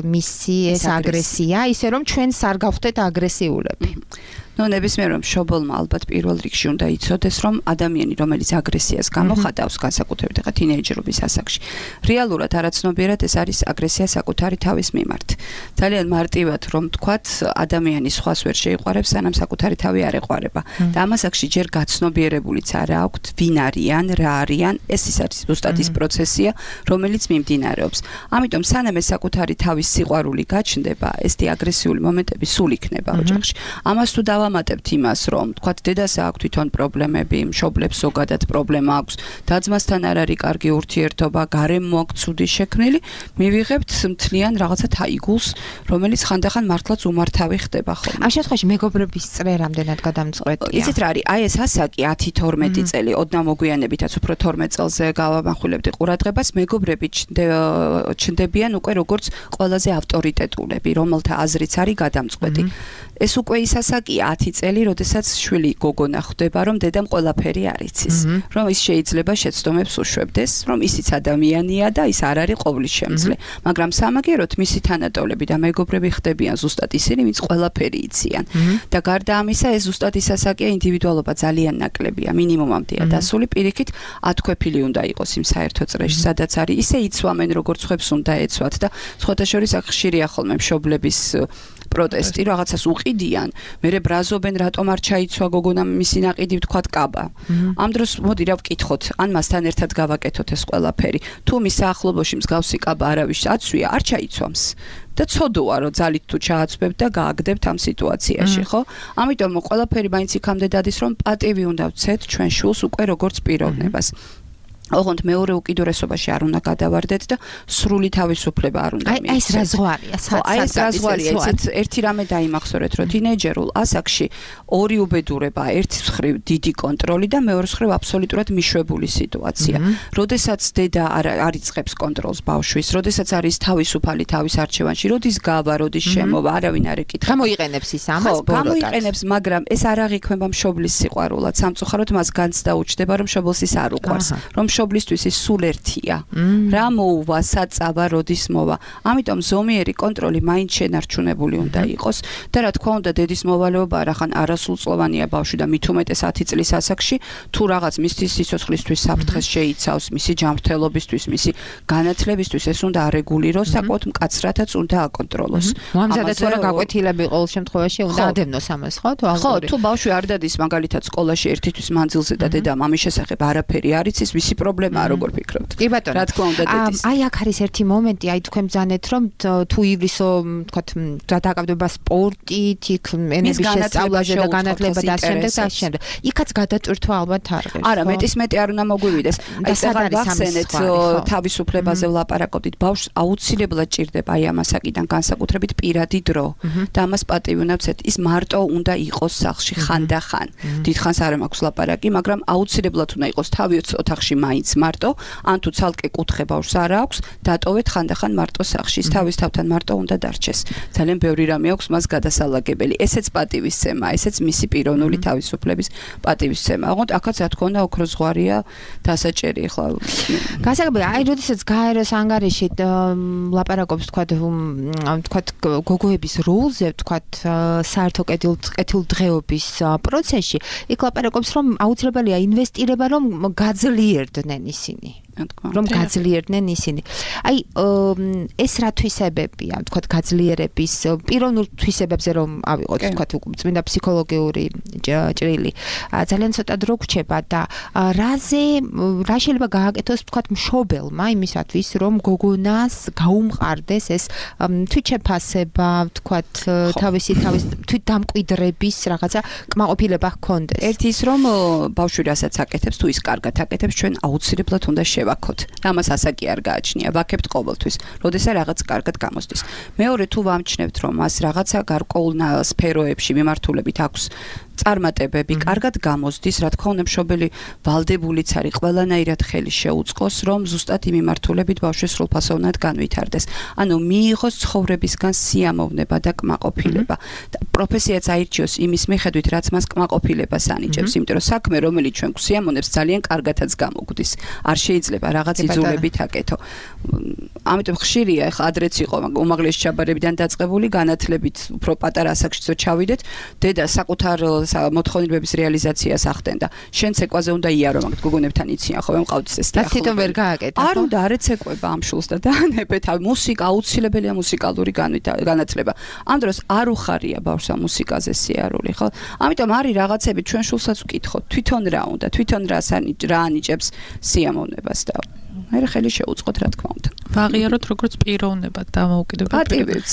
მისი ეს აგრესია, ისე რომ ჩვენს არ გავხდეთ აგრესიულები? ნუ ნებისმიერ რომ მშობელმა ალბათ პირველ რიგში უნდა იცოდეს, რომ ადამიანი, რომელიც აგრესიას გამოხატავს, განსაკუთრებით ხა თინეიჯერობის ასაკში, რეალურად არაცნობიერად ეს არის აგრესია საკუთარი თავის მიმართ. ძალიან მარტივად რომ თქვათ, ადამიანი სხვას ვერ შეიყვარებს, სანამ საკუთარი თავი თავი არ ეყვარება და ამას აქში ჯერ გაცნობიერებულიც არ აქვთ ვინ არიან, რა არიან, ეს ის არის ზუსტად ის პროცესია, რომელიც მიმდინარეობს. ამიტომ სანამ ეს საკუთარი თავის სიყვარული გაჩნდება, ესეთი აგრესიული მომენტები სულ იქნება ოჯახში. ამას თუ დავამატებთ იმას, რომ თქვათ დედას აქვს თვითონ პრობლემები, მშობლებს ზოგადად პრობლემა აქვს, და-ძმასთან არ არის კარგი ურთიერთობა, გარემო აქვს ცუდი შექმნილი, მივიღებთ მთლიან რაღაცა თაიგულს, რომელიც ხანდახან მართლაც უმართავი ხდება ხოლმე. ამ შემთხვევაში მეგობრების წრე რამდენად გადამწყვეტია? იცით რა არის, აი ეს ასაკი ათი თორმეტი წელი, ოდნავ მოგვიანებითაც უფრო თორმეტ წელზე გავამახვილებდი ყურადღებას, მეგობრები ჩნდებიან უკვე როგორც ყველაზე ავტორიტეტულები, რომელთა აზრიც არის გადამწყვეტი. ეს უკვე ის ასაკია ათი წელი, როდესაც შვილი გოგონა ხვდება, რომ დედამ ყველაფერი არ იცის, რომ ის შეიძლება შეცდომებს უშვებდეს, რომ ისიც ადამიანია და ის არ არის ყოვლის შემძლე, მაგრამ სამაგეროთ მისი თანატოლები და მეგობრები ხდებიან ზუსტად ისინი, ვინც ყველაფერი იციან. და გარდა ამისა, ეს ზუსტად ის ასაკია, ინდივიდუალობა ძალიან ნაკლებია, მინიმუმამდეა დასული, პირიქით ათქვეფილი უნდა იყოს იმ საერთო წრეში, სადაც არის, ისე იცვამენ, როგორც ხვებს უნდა ეცვათ და სხვათა შორის აქ ხშირია ხოლმე მშობლების პროტესტი, რაღაცას უყიდიან, მერე ბრაზობენ, რატომ არ ჩაიცვა გოგონა მისი ნაყიდი, ვთქვათ, კაბა. ამ დროს მოდი რა ვკითხოთ, ან მასთან ერთად გავაკეთოთ ეს ყველაფერი. თუ მის საახლობოში მსგავსი კაბა არავის აცვია, არ ჩაიცვამს. და ცოდოა, რომ ძალით თუ ჩააცვებთ და გააგდებთ ამ სიტუაციაში, ხო? ამიტომ ყველაფერი მაინც იქამდე დადის, რომ პატივი უნდა ვცეთ ჩვენ შულს უკვე როგორც პიროვნებას. ოღონდ მეორე უკიდურესობაში არ უნდა გადავარდეთ და სრული თავისუფლება არ უნდა მიიღოთ. აი ეს რა ზღვარია? აი ეს რა ზღვარია? ეცეთ ერთი რამე დაიმახსოვრეთ, რომ თინეიჯერულ ასაკში ორი უბედურება, ერთის მხრივ დიდი კონტროლი და მეორეს მხრივ აბსოლუტურად მიშვებული სიტუაცია. როდესაც დედა არ იწყებს კონტროლს ბავშვის, როდესაც არის თავისუფალი თავის არჩევანში, როდის გავა, როდის შემოვა, არავინ არ ეკითხება. გამოიყენებს ის ამას ბოლოდაც. გამოიყენებს, მაგრამ ეს არ აღიქმება მშობლის სიყვარულად. სამწუხაროდ მას განცდა უჩნდება, რომ მშობელს ის არ უყვარს, რომ მშობლისთვის ის სულ ერთია. რა მოუვა, საწავა, როდის მოვა. ამიტომ ზომიერი კონტროლი მაინც შენარჩუნებული უნდა იყოს და რა თქმა უნდა დედის მოვალეობა რახან არასრულწლოვანია ბავშვი და მით უმეტეს ათი წლის ასაკში, თუ რაღაც მისთვის სიცოცხლისთვის საფრთხეს შეიცავს, მისი ჯანმრთელობისთვის, მისი განათლებისთვის ეს უნდა არეგულიროს, საკუთ მკაცრათაც უნდა აკონტროლოს. ამზადეთ რა გაკვეთილები ყოველ შემთხვევაში უნდა ადევნოს ამას, ხო? ხო, თუ ბავშვი არ დადის მაგალითად სკოლაში ერთისთვის მანძილზე და დედამ ამის შესახებ არაფერი არ იცის, მისი პრობლემაა, როგორ ფიქრობთ? კი ბატონო. რა თქმა უნდა დედის. აი აქ არის ერთი მომენტი, აი თქვენ ბძანეთ, რომ თუ ივლისო, თქვათ, დაკავდება სპორტით, იქ ენების შესწავლაზე და განათლება და შემდეგ და შემდეგ. იქაც გადატვირთვა ალბათ არ ღირს. არა, მეტის მეტი არ უნდა მოგვივიდეს. აი სად ვახსენეთ თავისუფლებაზე ვლაპარაკობდით, ბავშვს აუცილებლად ჭირდება აი ამ ასაკიდან განსაკუთრებით პირადი დრო და ამას პატივი უნდა ვცეთ. ის მარტო უნდა იყოს სახლში ხანდახან. დიდხანს არ მაქვს ლაპარაკი, მაგრამ აუცილებლად უნდა იყოს თავი ოთახში მაინც მარტო, ან თუ ცალკე კუთხე ბავშვს არ აქვს, დატოვეთ ხანდახან მარტო სახლში. თავის თავთან მარტო უნდა დარჩეს. ძალიან ბევრი რამე აქვს მას გადასალაგებელი. ესეც პატივისცემა, ესეც მისი პიროვნული თავისუფლების პატივისცემა. ოღონდ აქაც რა თქმა უნდა ოქროს ზღვარია დასაჭერი ახლა. გასაგებია, აი როდესაც გაეროს ანგარიში ლაპარაკობს, თქვათ, თქვათ გოგოების როლზე, თქვათ საერთო კეთილდღეობის პროცესში, იქ ლაპარაკობს, რომ აუცილებელია ინვესტირება, რომ გაძლიერდნენ ისინი. რომ გაძლიერდნენ ისინი. აი ეს რა თვისებებია, თქვათ, გაძლიერების პიროვნულ თვისებებზე რომ ავიღოთ, თქვათ, წმინდა ფსიქოლოგიური ჭრილი. ძალიან ცოტა დრო გრჩება და რაზე რა შეიძლება გააკეთოს, თქვათ, მშობელმა იმისათვის, რომ გოგონას გაუმყარდეს ეს თვითშეფასება, თქვათ, თავისი თავის თვითდამკვიდრების რაღაცა კმაყოფილება ჰქონდეს. ერთი ის რომ ბავშვი რასაც აკეთებს, თუ ის კარგად აკეთებს, ჩვენ აუცილებლად უნდა ვაქოთ. ამას ასაკი არ გააჩნია, ვაქებთ ყოველთვის, როდესაც რაღაც კარგად გამოსდის. მეორე თუ ვამჩნევთ, რომ მას რაღაცა გარკვეულ სფეროებში მიმართულებით აქვს წარმატებები, კარგად გამოსდის, რა თქმა უნდა, მშობელი ვალდებულიც არის ყველანაირად ხელი შეუწყოს, რომ ზუსტად იმ მიმართულებით ბავშვი სრულფასოვნად განვითარდეს. ანუ მიიღოს ცხოვრებისგან სიამოვნება და კმაყოფილება. და პროფესიაც აირჩიოს იმის მიხედვით, რაც მას კმაყოფილებას ანიჭებს, იმიტომ რომ საქმე, რომელიც ჩვენ გვსიამოვნებს, ძალიან კარგადაც გამოგვდის. არ შეიძლება რაღაც იძულებით აკეთო. ამიტომ ხშირია, ახლა ადრეც იყო უმაღლესი ჩაბარებიდან დაწყებული, განათლებით უფრო პატარა ასაკშიც ჩავიდეთ, დედა საკუთარ მოთხოვნილების რეალიზაციას ახდენდა. შენ ცეკვაზე უნდა იარო, მაგ გოგონებთან იციან ხო, მყავდეს ეს და თვითონ ვერ გააკეთა. არ უნდა არ ეცეკვება ამ შულს და დაანებეთ. მუსიკა აუცილებელია მუსიკალური განათლება. ამ დროს არ უხარია ბავშვს ამ მუსიკაზე სიარული, ხო? ამიტომ არის რაღაცები ჩვენ შულსაც ვკითხოთ, თვითონ რა უნდა, თვითონ რა რა ანიჭებს სიამოვნებას და მე ხელი შეუწყოთ რა თქმა უნდა. ვაღიაროთ როგორც პიროვნებად დამოუკიდებელ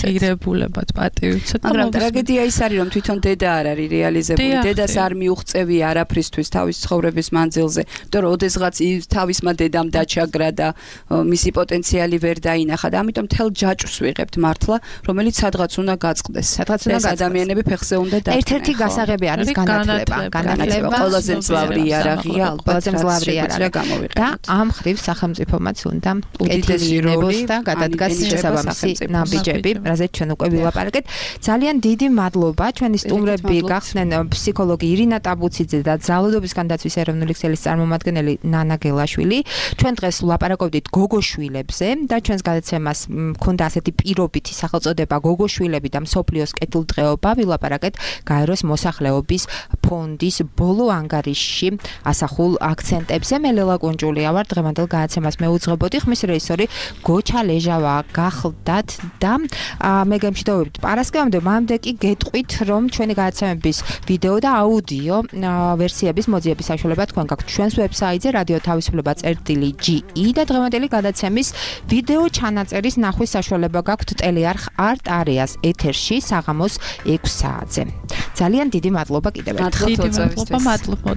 პირებულებად პატივიცეთ. მაგრამ ტრაგედია ის არის რომ თვითონ დედა არ არის რეალიზებული, დედას არ მიუღწევი არაფრისთვის თავის ცხოვრების მანძილზე, იმიტომ რომ ოდესღაც თავისმა დედამ დაჩაგრა და მისი პოტენციალი ვერ დაინახა და ამიტომ თელ ჯაჭვს ვიღებთ მართლა, რომელიც სადღაც უნდა გაწყდეს. სადღაც უნდა გაწყდეს. ადამიანები ფეხზე უნდა დადგნენ. ერთ-ერთი გასაღები არის განათლება, განათლება ყველაზე მძლავრი იარაღია, ყველაზე მძლავრი იარაღია და ამ ხრივ სახელმწიფომაც უნდა უდიდესი და გადადგას შესაბამისი ნაბიჯები, რაზეც ჩვენ უკვე ვილაპარაკეთ. ძალიან დიდი მადლობა ჩვენი სტუმრები გახსნენ ფსიქოლოგი ირინა ტაბუციძე და ძალადობის განდაცვის ეროვნული ქსელის წარმომადგენელი ნანა გელაშვილი. ჩვენ დღეს ვლაპარაკობდით გოგოშვილებზე და ჩვენს გადაცემას მქონდა ასეთი პირობითი სახელწოდება გოგოშვილები და მსოფლიოს კეთილდღეობა. ვილაპარაკეთ გაეროს მოსახლეობის ფონდის ბოლო ანგარიშში ასახულ აქცენტებზე. მე ლელა კუნჭულია ვარ, დღევანდელ გადაცემას მეუძღებოდი, ხმის რეჟისორი გოჩა ლეჟავა გახლდათ და მე გემშვიდობებით პარასკევამდე, მანამდე კი გეტყვით, რომ ჩვენი გადაცემების ვიდეო და აუდიო ვერსიების მოძიების საშუალება თქვენ გაქვთ ჩვენს ვებსაიტზე რადიო თავისუფლება წერტილი ჯი ი და დღევანდელი გადაცემის ვიდეო ჩანაწერის ნახვის საშუალება გაქვთ ტელეარხ არტ არეას ეთერში საღამოს ექვს საათზე. ძალიან დიდი მადლობა კიდევ ერთხელ. მადლობა, მადლობა.